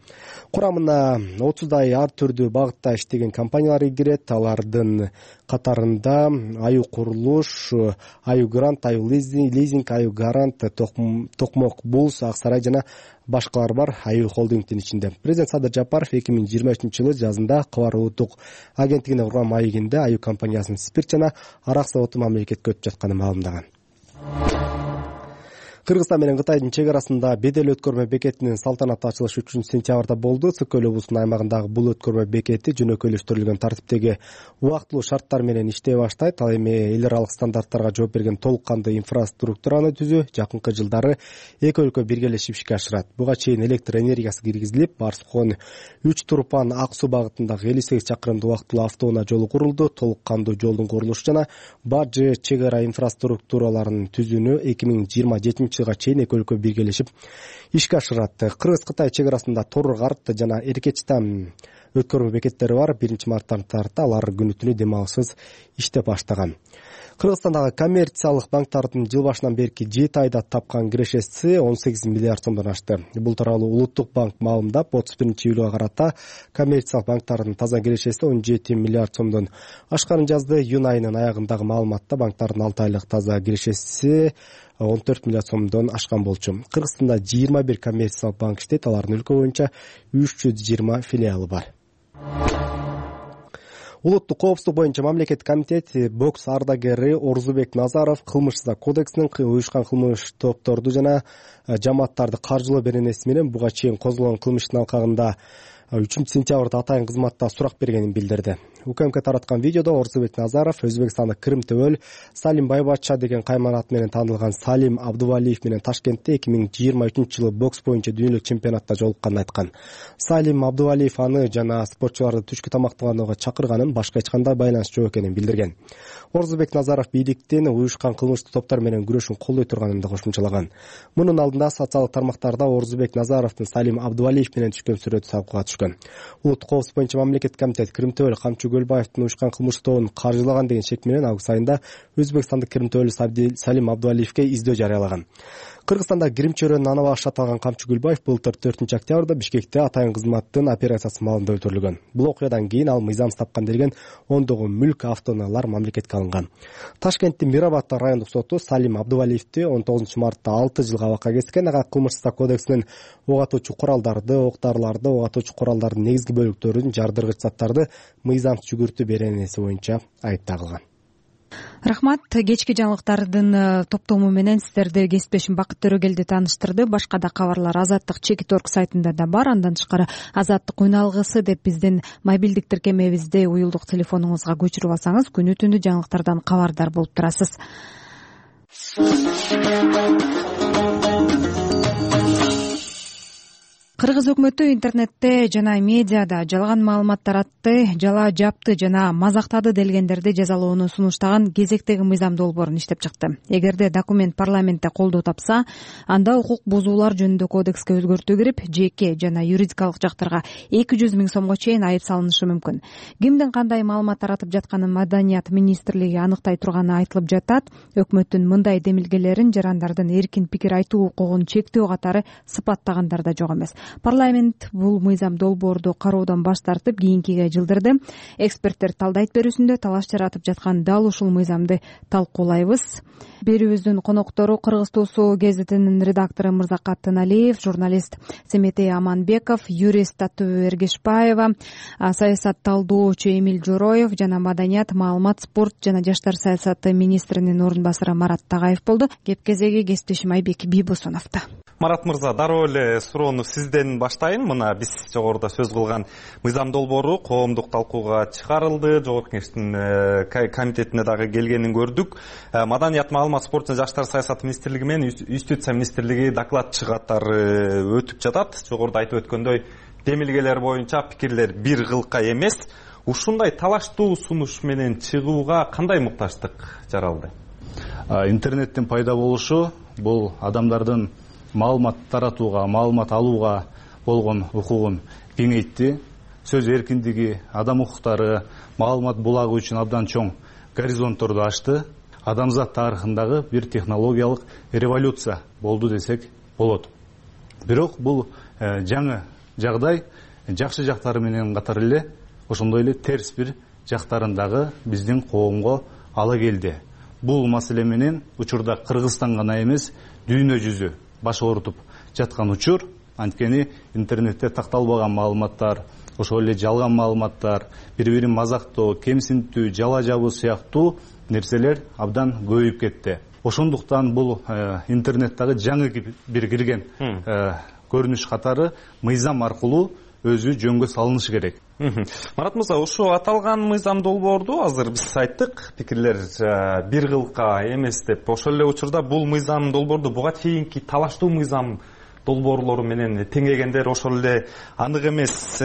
X: Курамына 30дай ар түрдүү багытта иштеген компаниялар кирет. Алардын катарында Аю курулуш, Аю грант, Аю лизинг, Аю гарант, Токмок Булс, Аксарай жана башкалар бар Аю холдингдин ичинде. Президент Садыр Жапаров 2023-жылы жазында Кабар улуттук агенттигине курган маегинде Аю компаниясынын спирт жана арак заводу мамлекетке өтүп жатканын маалымдаган. Кыргызстан менен Кытайдын чек арасында бедел өткөрмө бекетинин салтанаттуу ачылышы 3-сентябрда болду. Цыкөл облусунун аймагындагы бул өткөрмө бекети жөнөкөйлөштүрүлгөн тартиптеги убактылуу шарттар менен иштей баштайт. Ал эми эл аралык стандарттарга жооп берген толук кандуу инфраструктураны түзүү жакынкы жылдары эки өлкө биргелешип ишке ашырат. Буга чейин электр энергиясы киргизилип, Барскон 3 Турпан Ак Суу багытындагы 58 чакырымдуу убактылуу автоунаа жолу курулду. Толук кандуу жолдун курулушу жана бажы чек ара инфраструктураларын түзүүнү 2027 жылга чейин эки өлкө биргелешип ишке ашырат. Кыргыз-Кытай чек арасында Тор Карт жана Эркечтан өткөрмө бекеттери бар. 1-марттан тарта алар күнү түнү дем алышсыз иштеп баштаган. Кыргызстандагы коммерциялык банктардын жыл башынан берки 7 айда тапкан кирешеси 18 миллиард сомдон ашты. Бул тууралуу Улуттук банк маалымдап, 31-июлга карата коммерциялык банктардын таза кирешеси 17 миллиард сомдон ашканын жазды. Июнь айынын аягындагы маалыматта банктардын 6 айлык таза кирешеси 14 миллиард сомдон ашкан болчу. Кыргызстанда 21 коммерциялык банк иштейт, алардын өлкө боюнча 320 филиалы бар. Улуттук коопсуздук боюнча мамлекеттик комитет бокс ардагери Орзубек Назаров кылмыш кодексинин уюшкан кылмыш топторду жана жамааттарды каржылоо беренеси менен буга чейин козголгон кылмыштын алкагында 3-сентябрда атайын кызматта сурак бергенин билдирди. УКМК тараткан видеодо Орзубек Назаров Өзбекстандык Крым-Төбөл Салим Байбатча деген кайман аты менен таанылган Салим Абдувалиев менен Ташкентте 2023-жылы бокс боюнча дүйнөлүк чемпионатта жолукканын айткан. Салим Абдувалиев аны жана спортчуларды түшкү тамактанууга чакырганын, башка эч кандай байланыш жок экенин билдирген. Орзубек Назаров бийликтин уюшкан кылмыштык топтор менен күрөшүн колдой турганын да кошумчалаган. Мунун алдында социалдык тармактарда Орзубек Назаровдун Салим Абдувалиев менен түшкөн сүрөтү талкууга түшкөн. Улуттук коопсуздук боюнча мамлекеттик комитет Крым-Төбөл Камчы Көлбаевдин уюшкан кылмыштык тобун каржылаган деген шек менен август айында Өзбекстандык Крым-Төбөл Салим Абдувалиевке издөө жарыялаган. Кыргызстанда грим чөйрөнүн аны башчы аталган Камчы Көлбаев былтыр 4-октябрда Бишкекте атайын кызматтын операциясы маалында өлтүрүлгөн. Бул окуядан кийин ал мыйзамсыз тапкан делген ондогон мүлк, автоунаалар мамлекетке алынган. Ташкенттин Мирабад райондук соту Салим Абдувалиевди 19-мартта 6 жылга абакка кескен. Ага кылмыштык кодексинин ок атуучу куралдарды, ок-дарыларды, ок атуучу куралдардын негизги бөлүктөрүн, жардыргыч заттарды мыйзамсыз жүгүртүү беренеси боюнча айып тагылган.
B: Рахмат. Кечки жаңылыктардын топтому менен сиздерди кесиптешим Бакыт Төрөгелди тааныштырды. Башка да кабарлар Азаттык Чекит.орг сайтында да бар. Андан тышкары Азаттык уйналгысы деп биздин мобилдик тиркемебизди уюлдук телефонуңузга көчүрүп алсаңыз күнү түнү жаңылыктардан кабардар болуп турасыз. Кыргыз өкмөтү интернетте жана медиада жалган маалымат таратты, жала жапты жана мазактады делгендерди жазалоону сунуштаган кезектеги мыйзам долбоорун иштеп чыкты. Эгерде документ парламентте колдоо тапса, анда укук бузуулар жөнүндө кодекске өзгөртүү кирип, жеке жана юридикалык жактарга 200 000 сомго чейин айып салынышы мүмкүн. Кимдин кандай маалымат таратып жатканын Маданият министрлиги аныктай турганы айтылып жатат. Өкмөттүн мындай демилгелерин жарандардын эркин пикир айтуу укугун чектөө катары сыпаттагандар да жок эмес. Парламент бул мыйзам долбоорду кароодон баш тартып, кийинкиге жылдырды. Эксперттер талдайт берүүсүндө талаш жаратып жаткан дал ушул мыйзамды талкуулайбыз. Берүүбүздүн коноктору Кыргыз Туусу гезитинин редактору Мырзакат Тыналиев, журналист Семетей Аманбеков, юрист Аттуу Эргешбаева, саясат талдоочу Эмил Жороев жана Маданият, маалымат, спорт жана жаштар саясаты министринин орун басары Марат Тагаев болду. Кеп кезеги кесиптешим Айбек Бийбосуновдо.
C: Марат мырза, дароо эле суроону сизден баштайын. Мына биз жогоруда сөз кылган мыйзам долбоору коомдук талкууга чыгарылды. Жогорку Кеңештин комитетине дагы келгенин көрдүк. Маданият, маалымат, спорт жана жаштар саясаты министрлиги менен Юстиция министрлиги докладчы катары өтүп жатат. Жогоруда айтып өткөндөй, демилгелер боюнча пикирлер бир кылка эмес. Ушундай талаштуу сунуш менен чыгууга кандай муктаждык жаралды?
F: Интернеттин пайда болушу бул адамдардын маалымат таратууга, маалымат алууга болгон укугун кеңейтти. Сөз эркиндиги, адам укуктары, маалымат булагы үчүн абдан чоң горизонтторду ачты. Адамзат тарыхындагы бир технологиялык революция болду десек болот. Бирок бул жаңы жагдай жакшы жактары менен катар эле ошондой эле терс бир жактарын дагы биздин коомго ала келди. Бул маселе менен учурда Кыргызстан гана эмес, дүйнө жүзү баш оорутуп жаткан учур. Анткени интернетте такталбаган маалыматтар, ошол эле жалган маалыматтар, бири-бирин мазактоо, кемсинтүү, жала жабуу сыяктуу нерселер абдан көбөйүп кетти. Ошондуктан бул интернеттагы жаңы бир кирген көрүнүш катары мыйзам аркылуу өзү жөнгө салынышы керек.
C: Марат мырза, ушу аталган мыйзам долбоорду азыр биз айттык, пикирлер бир кылка эмес деп. Ошол эле учурда бул мыйзам долбоорду буга чейинки талаштуу мыйзам долбоорлору менен теңегендер, ошол эле анык эмес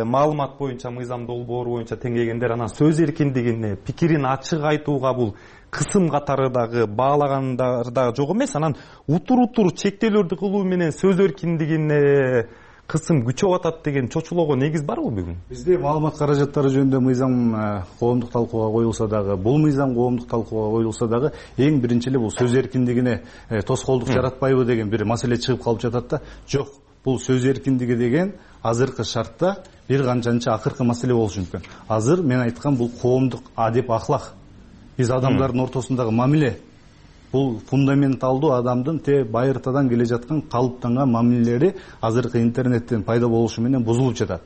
C: маалымат боюнча мыйзам долбоору боюнча теңегендер, анан сөз эркиндигине, пикирин ачык айтууга бул кысым катары дагы баалагандар да жок эмес. Анан утур чектөөлөрдү кылуу менен сөз эркиндигине кысым күчөп атат деген чочулоого негиз барбы бүгүн?
F: Бизде маалымат каражаттары жөнүндө мыйзам коомдук талкууга коюлса дагы, бул мыйзам коомдук талкууга коюлса дагы эң биринчи эле бул сөз эркиндигине тоскоолдук жаратпайбы деген бир маселе чыгып калып жатат да. Жок, бул сөз эркиндиги деген азыркы шартта бир канчанча акыркы маселе болушу мүмкүн. Азыр мен айткан бул коомдук адеп ахлак. Биз адамдардын ортосундагы мамиле. Бул фундаменталдуу адамдын байыртадан келе жаткан калыптанган мамилелери азыркы интернеттен пайда болушу менен бузулуп жатат.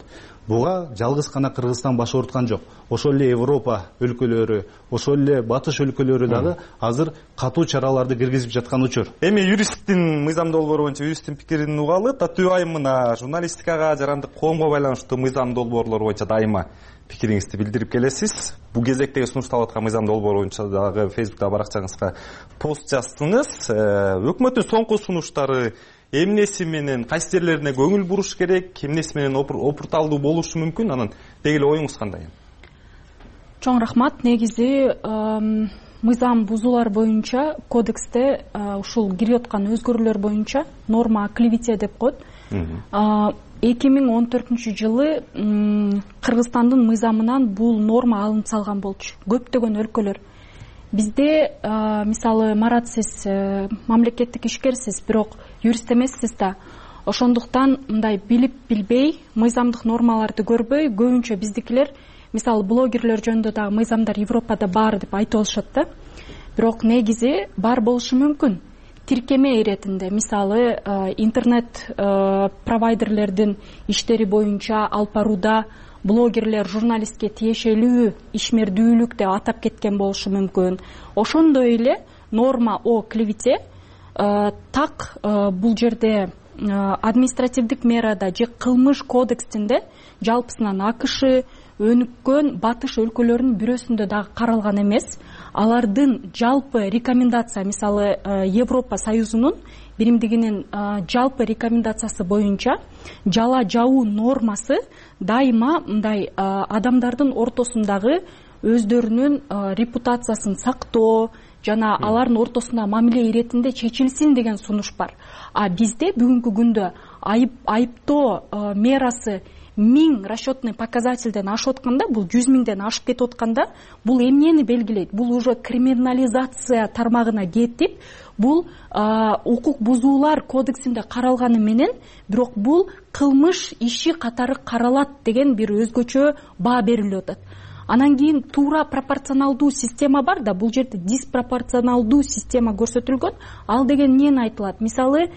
F: Буга жалгыз гана Кыргызстан баш ооруткан жок. Ошол эле Европа өлкөлөрү, ошол эле батыш өлкөлөрү дагы азыр катуу чараларды киргизип жаткан учур.
C: Эми юристтин мыйзам долбоору боюнча юристтин пикирин угалы. Татуу айым мына журналистикага, жарандык коомго байланыштуу мыйзам долбоорлор боюнча дайыма пикириңизди билдирип келесиз. Бул кезектеги сунушталып аткан мыйзам долбоору боюнча дагы Facebook'та баракчаңызга пост жаздыңыз. Өкмөттүн соңку сунуштары эмнеси менен кайсы жерлерине көңүл буруш керек, эмнеси менен опурталдуу болушу мүмкүн, анан деги эле оюңуз кандай?
V: Чоң рахмат. Негизи мыйзам бузуулар боюнча кодексте ушул кирип аткан өзгөрүүлөр боюнча норма о клевете деп коет. 2014 жылы Кыргызстандын мыйзамынан бул норма алынып салган болчу. Көптөгөн өлкөлөр. Бизде мисалы Марат, сиз мамлекеттик ишкерсиз, бирок юрист эмессиз да. Ошондуктан мындай билип билбей, мыйзамдык нормаларды көрбөй, көбүнчө биздикилер мисалы блогерлер жөнүндө дагы мыйзамдар Европада бар деп айтып алышат да. Бирок негизи бар болушу мүмкүн. Тиркеме иретинде мисалы интернет провайдерлердин иштери боюнча алып барууда блогерлер журналистке тиешелүү ишмердүүлүк деп атап кеткен болушу мүмкүн. Ошондой эле норма о клевете так бул жерде административдик мерада же кылмыш кодексинде жалпысынан АКШ өнүккөн батыш өлкөлөрүнүн бирөөсүндө дагы каралган эмес. Алардын жалпы рекомендация, мисалы Европа Союзунун биримдигинин жалпы рекомендациясы боюнча жала жабуу нормасы дайыма мындай адамдардын ортосундагы өздөрүнүн репутациясын сактоо жана алардын ортосунда мамиле иретинде чечилсин деген сунуш бар. А бизде бүгүнкү күндө айыптоо мерасы 1000 расчетный показательден ашып атканда, бул 100 000ден ашып кетип атканда, бул эмнени белгилейт? Бул уже криминализация тармагына кетип, бул укук бузуулар кодексинде каралганы менен, бирок бул кылмыш иши катары каралат деген бир өзгөчө баа берилип атат. Анан кийин туура пропорционалдуу система бар да, бул жерде диспропорционалдуу система көрсөтүлгөн. Ал деген эмнени айтылат? Мисалы,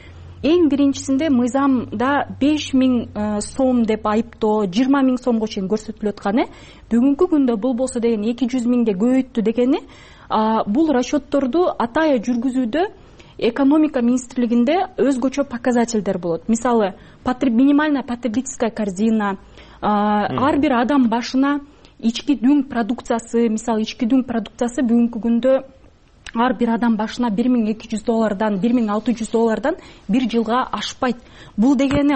V: эң биринчисинде мыйзамда 5000 сом деп айыптоо 20 000 сомго чейин көрсөтүлүп атканы, бүгүнкү күндө бул болсо деген 200 000ге көбөйттү дегени, бул расчетторду атайын жүргүзүүдө экономика министрлигинде өзгөчө показательдер болот. Мисалы, минимальная потребительская корзина, ар бир адам башына ички дүң продукциясы, мисалы ички дүң продукциясы бүгүнкү күндө ар бир адам башына $1200, $1600 бир жылга ашпайт. Бул дегени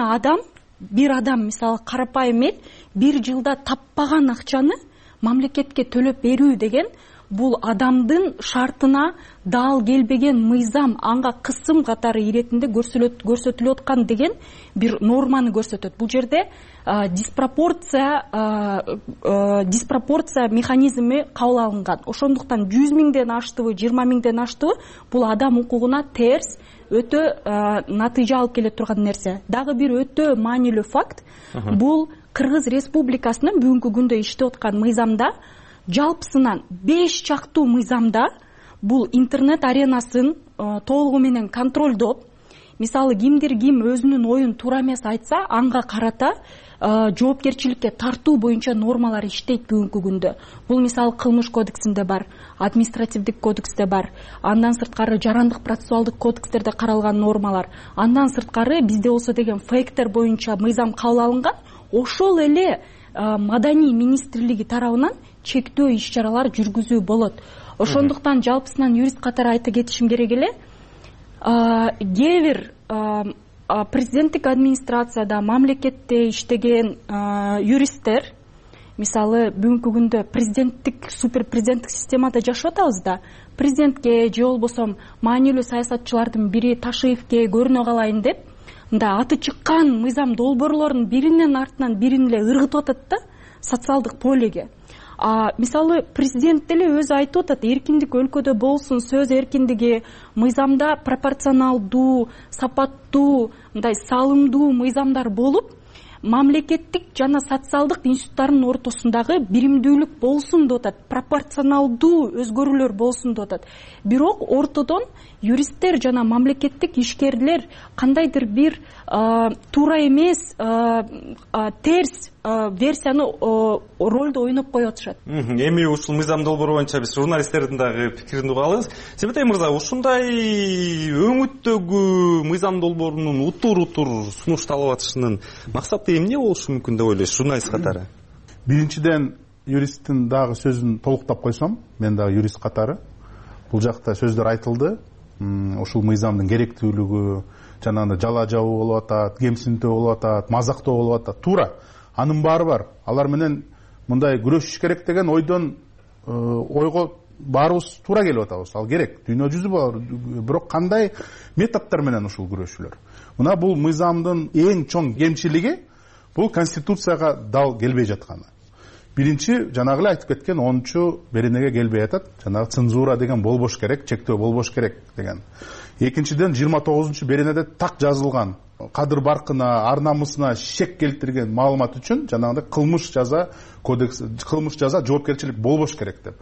V: бир адам мисалы карапайым эл бир жылда таппаган акчаны мамлекетке төлөп берүү деген бул адамдын шартына дал келбеген мыйзам анга кысым катары иретинде көрсөтүлүп аткан деген бир норманы көрсөтөт. Бул жерде диспропорция механизми кабыл алынган. Ошондуктан 100 000ден аштыбы, 20 000ден аштыбы, бул адам укугуна терс өтө натыйжа алып келе турган нерсе. Дагы бир өтө маанилүү факт, бул Кыргыз Республикасынын бүгүнкү күндө иштеп аткан мыйзамда жалпысынан 5 чактуу мыйзамда бул интернет аренасын толугу менен контролдоп, мисалы кимдир ким өзүнүн оюн туура эмес айтса, анга карата жоопкерчиликке тартуу боюнча нормалар иштейт бүгүнкү күндө. Бул мисалы кылмыш кодексинде бар, административдик кодексте бар, андан сырткары жарандык процессуалдык кодекстерде каралган нормалар, андан сырткары бизде болсо деген фейктер боюнча мыйзам кабыл алынган. Ошол эле маданий министрлиги тарабынан чектөө иш-чаралар жүргүзүү болот. Ошондуктан жалпысынан юрист катары айта кетишим керек эле, кээ бир президенттик администрацияда, мамлекетте иштеген юристтер, мисалы бүгүнкү күндө президенттик, суперпрезиденттик системада жашап атабыз да, президентке же болбосо маанилүү саясатчылардын бири Ташиевке көрүнө калайын деп, мындай аты чыккан мыйзам долбоорлордун биринин артынан бирин эле ыргытып атат да социалдык полеге. Мисалы президент деле өзү айтып атат, эркиндик өлкөдө болсун, сөз эркиндиги, мыйзамда пропорционалдуу, сапаттуу, мындай салымдуу мыйзамдар болуп, мамлекеттик жана социалдык институттардын ортосундагы биримдүүлүк болсун деп атат, пропорционалдуу өзгөрүүлөр болсун деп атат. Бирок ортодон юристтер жана мамлекеттик ишкерлер кандайдыр бир туура эмес, терс версияны ролду ойноп коюп атышат.
C: Эми ушул мыйзам долбоору боюнча биз журналисттердин дагы пикирин угабыз. Себетай мырза, ушундай өңүттөгү мыйзам долбоорунун утур сунушталып атышынын максаты эмне болушу мүмкүн деп ойлойсуз, журналист катары?
W: Биринчиден, юристтин дагы сөзүн толуктап койсом, мен дагы юрист катары, бул жакта сөздөр айтылды. Ушул мыйзамдын керектүүлүгү, жанагындай жала жабуу болуп атат, кемсинтүү болуп атат, мазактоо болуп атат. Туура. Анын баары бар. Алар менен мындай күрөшүш керек деген ойго баарыбыз туура келип атабыз. Ал керек. Дүйнө жүзү бар. Бирок кандай методдор менен ушул күрөшүүлөр? Мына бул мыйзамдын эң чоң кемчилиги бул конституцияга дал келбей жатканы. Биринчи, жанагы эле айтып кеткен 10-чу беренеге келбей атат. Жанагы цензура деген болбош керек, чектөө болбош керек деген. Экинчиден, 29-чу беренеде так жазылган кадыр баркына, ар намысына шек келтирген маалымат үчүн жанагындай кылмыш жаза кодекс, кылмыш жаза жоопкерчилик болбош керек деп.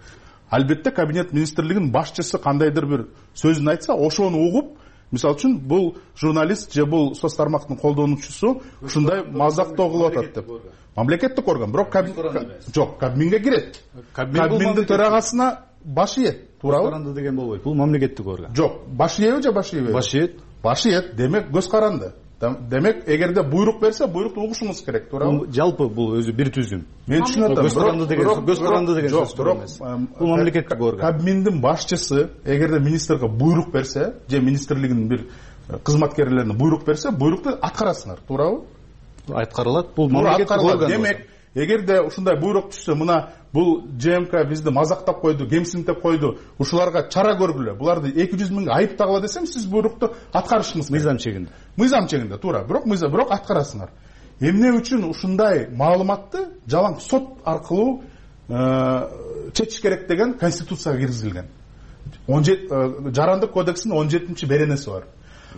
W: Албетте кабинет министрлигинин башчысы кандайдыр бир сөзүн айтса, ошону угуп, мисалы үчүн бул журналист же бул соц тармактын колдонуучусу ушундай мазактоо кылып атат деп. Мамлекеттик орган, бирок жок, Кабминге кирет. Кабминдин төрагасына баш ийет, туурабы?
F: Көз каранды деген болбойт. Бул мамлекеттик орган.
W: Жок, баш ийеби же баш ийбейби?
F: Баш ийет.
W: Баш ийет, демек көз каранды. Демек, эгерде буйрук берсе, буйрукту угушубуз керек, туурабы?
F: Жалпы бул өзү бир түзүм.
W: Мен түшүнөт атам.
F: Көз каранды деген сөз эмес. Бул мамлекеттик орган.
W: Кабминдин башчысы эгерде министрге буйрук берсе, же министрлигинин бир кызматкерлерине буйрук берсе, буйрукту аткарасыңар, туурабы?
F: Аткарылат. Бул мамлекеттик орган.
W: Демек, эгерде ушундай буйрук түшсө, мына бул ЖМК бизди мазактап койду, кемсинтип койду, ушуларга чара көргүлө, буларды 200 миңге айыптагыла десем, сиз буйрукту аткарышыңыз керек.
F: Мыйзам чегинде.
W: Мыйзам чегинде, туура. Бирок аткарасыңар. Эмне үчүн ушундай маалыматты жалаң сот аркылуу чечиш керек деген конституцияга киргизилген. Жарандык кодекстин 17-чи беренеси бар.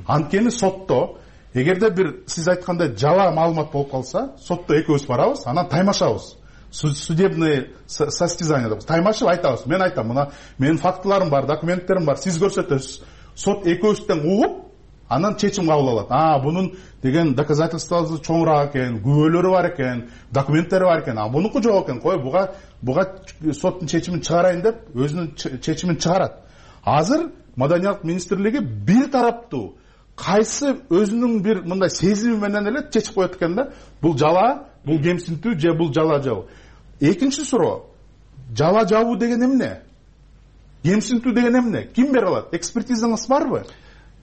W: Анткени сотто эгерде бир сиз айткандай жала маалымат болуп калса, сотто экөөбүз барабыз, анан таймашабыз. Судебный состязание деп таймашып айтабыз. Мен айтам, мына менин фактыларым бар, документтерим бар, сиз көрсөтөсүз. Сот экөөбүздөн угуп, анан чечим кабыл алат. Бунун деген доказательствосы чоңураак экен, күбөлөрү бар экен, документтери бар экен. Бунуку жок экен. Кой, буга соттун чечимин чыгарайын деп өзүнүн чечимин чыгарат. Азыр Маданият министрлиги бир тараптуу кайсы өзүнүн бир мындай сезими менен эле чечип коет экен да. Бул жала, бул кемсинтүү же бул жала жабуу. Экинчи суроо. Жала жабуу деген эмне? Кемсинтүү деген эмне? Ким бере алат? Экспертизаңыз барбы?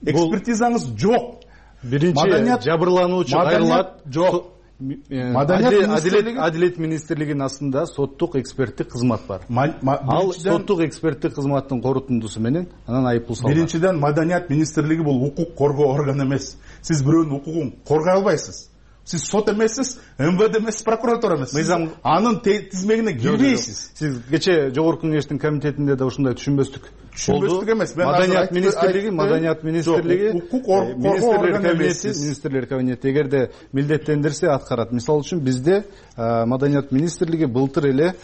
W: Экспертизаңыз жок.
F: Биринчи жабырлануучу кайрылат.
W: Жок.
F: Адилет министрлигинин астында соттук эксперттик кызмат бар. Ал соттук эксперттик кызматтын корутундусу менен анан айыппул салган.
W: Биринчиден, Маданият министрлиги бул укук коргоо органы эмес. Сиз бирөөнүн укугун коргой албайсыз. Сиз сот эмессиз, МВД эмессиз, прокуратура эмессиз.
F: Мыйзам
W: анын тизмегине кирбейсиз.
F: Сиз кече жогорку кеңештин комитетинде да ушундай түшүнбөстүк
W: эмес.
F: Маданият министрлиги
W: укук коргоо органы эмес.
F: Министрлер кабинети эгерде милдеттендирсе аткарат. Мисалы үчүн бизде Маданият министрлиги былтыр эле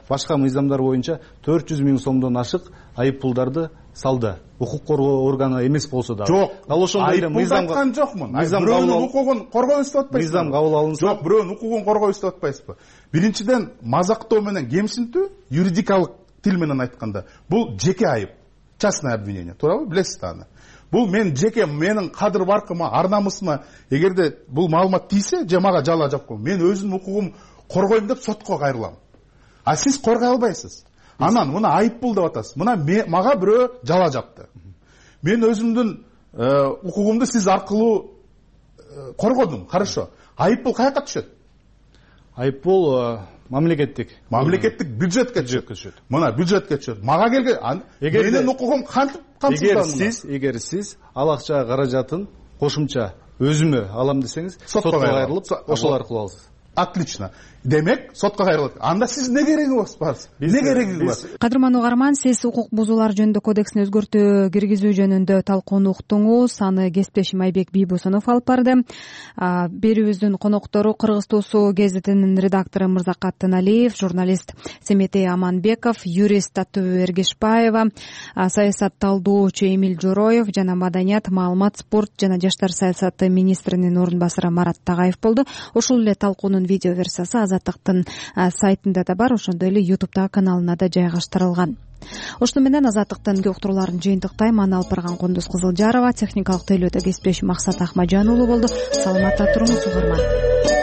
F: башка мыйзамдар боюнча 400 миң сомдон ашык айыппулдарды салды. Укук коргоо органы эмес болсо да.
W: Жок.
F: Ал ошондой эле
W: мыйзам айткан жокмун. Бирөөнүн укугун коргойбуз деп атпайсызбы?
F: Мыйзам кабыл алынса.
W: Жок, бирөөнүн укугун коргойбуз деп атпайсызбы? Биринчиден, мазактоо менен кемсинтүү, юридикалык тил менен айтканда, бул жеке айып, частное обвинение, туурабы? Билесиз аны. Бул менин кадыр баркыма, ар намысыма эгерде бул маалымат тийсе, же мага жала жапкан, мен өзүмдүн укугум коргойм деп сотко кайрылам. А сиз коргой албайсыз. Анан мына айыппул деп атасыз. Мына мага бирөө жала жапты. Мен өзүмдүн укугумду сиз аркылуу коргодум. Хорошо. Айыппул каяка түшөт?
F: Айыппул мамлекеттик
W: бюджетке түшөт. Мына бюджетке түшөт. Мага келген менин укугум кантип камсыздалган?
F: Эгер сиз ал акча каражатын кошумча өзүмө алам десеңиз сотко кайрылып ошол аркылуу аласыз.
W: Отлично. Демек, сотко кайрылат. Анда сиз не керегиңиз бар? Не кереги бар?
B: Кадырман угарман, сиз укук бузуулар жөнүндө кодексине өзгөртүү киргизүү жөнүндө талкууну уктуңуз. Аны кесиптешим Айбек Бийбосунов алып барды. Берүүбүздүн коноктору Кыргыз Туусу гезитинин редактору Мырзакат Тыналиев, журналист Семетей Аманбеков, юрист Аттуу Эргешбаева, саясатталдоочу Эмил Жороев жана маданият, маалымат, спорт жана жаштар саясаты министринин орун басары Марат Тагаев болду. Ошол эле талкуунун видео версиясы Азаттыктын сайтында да бар, ошондой эле YouTube'дагы каналына да жайгаштырылган. Ошону менен Азаттыктын уктурууларын жыйынтыктайм. Аны алып барган Кундуз Кызылжарова, техникалык тейлөөдө кесиптешим Максат Ахмаджан уулу болду. Саламатта туруңуз угарман.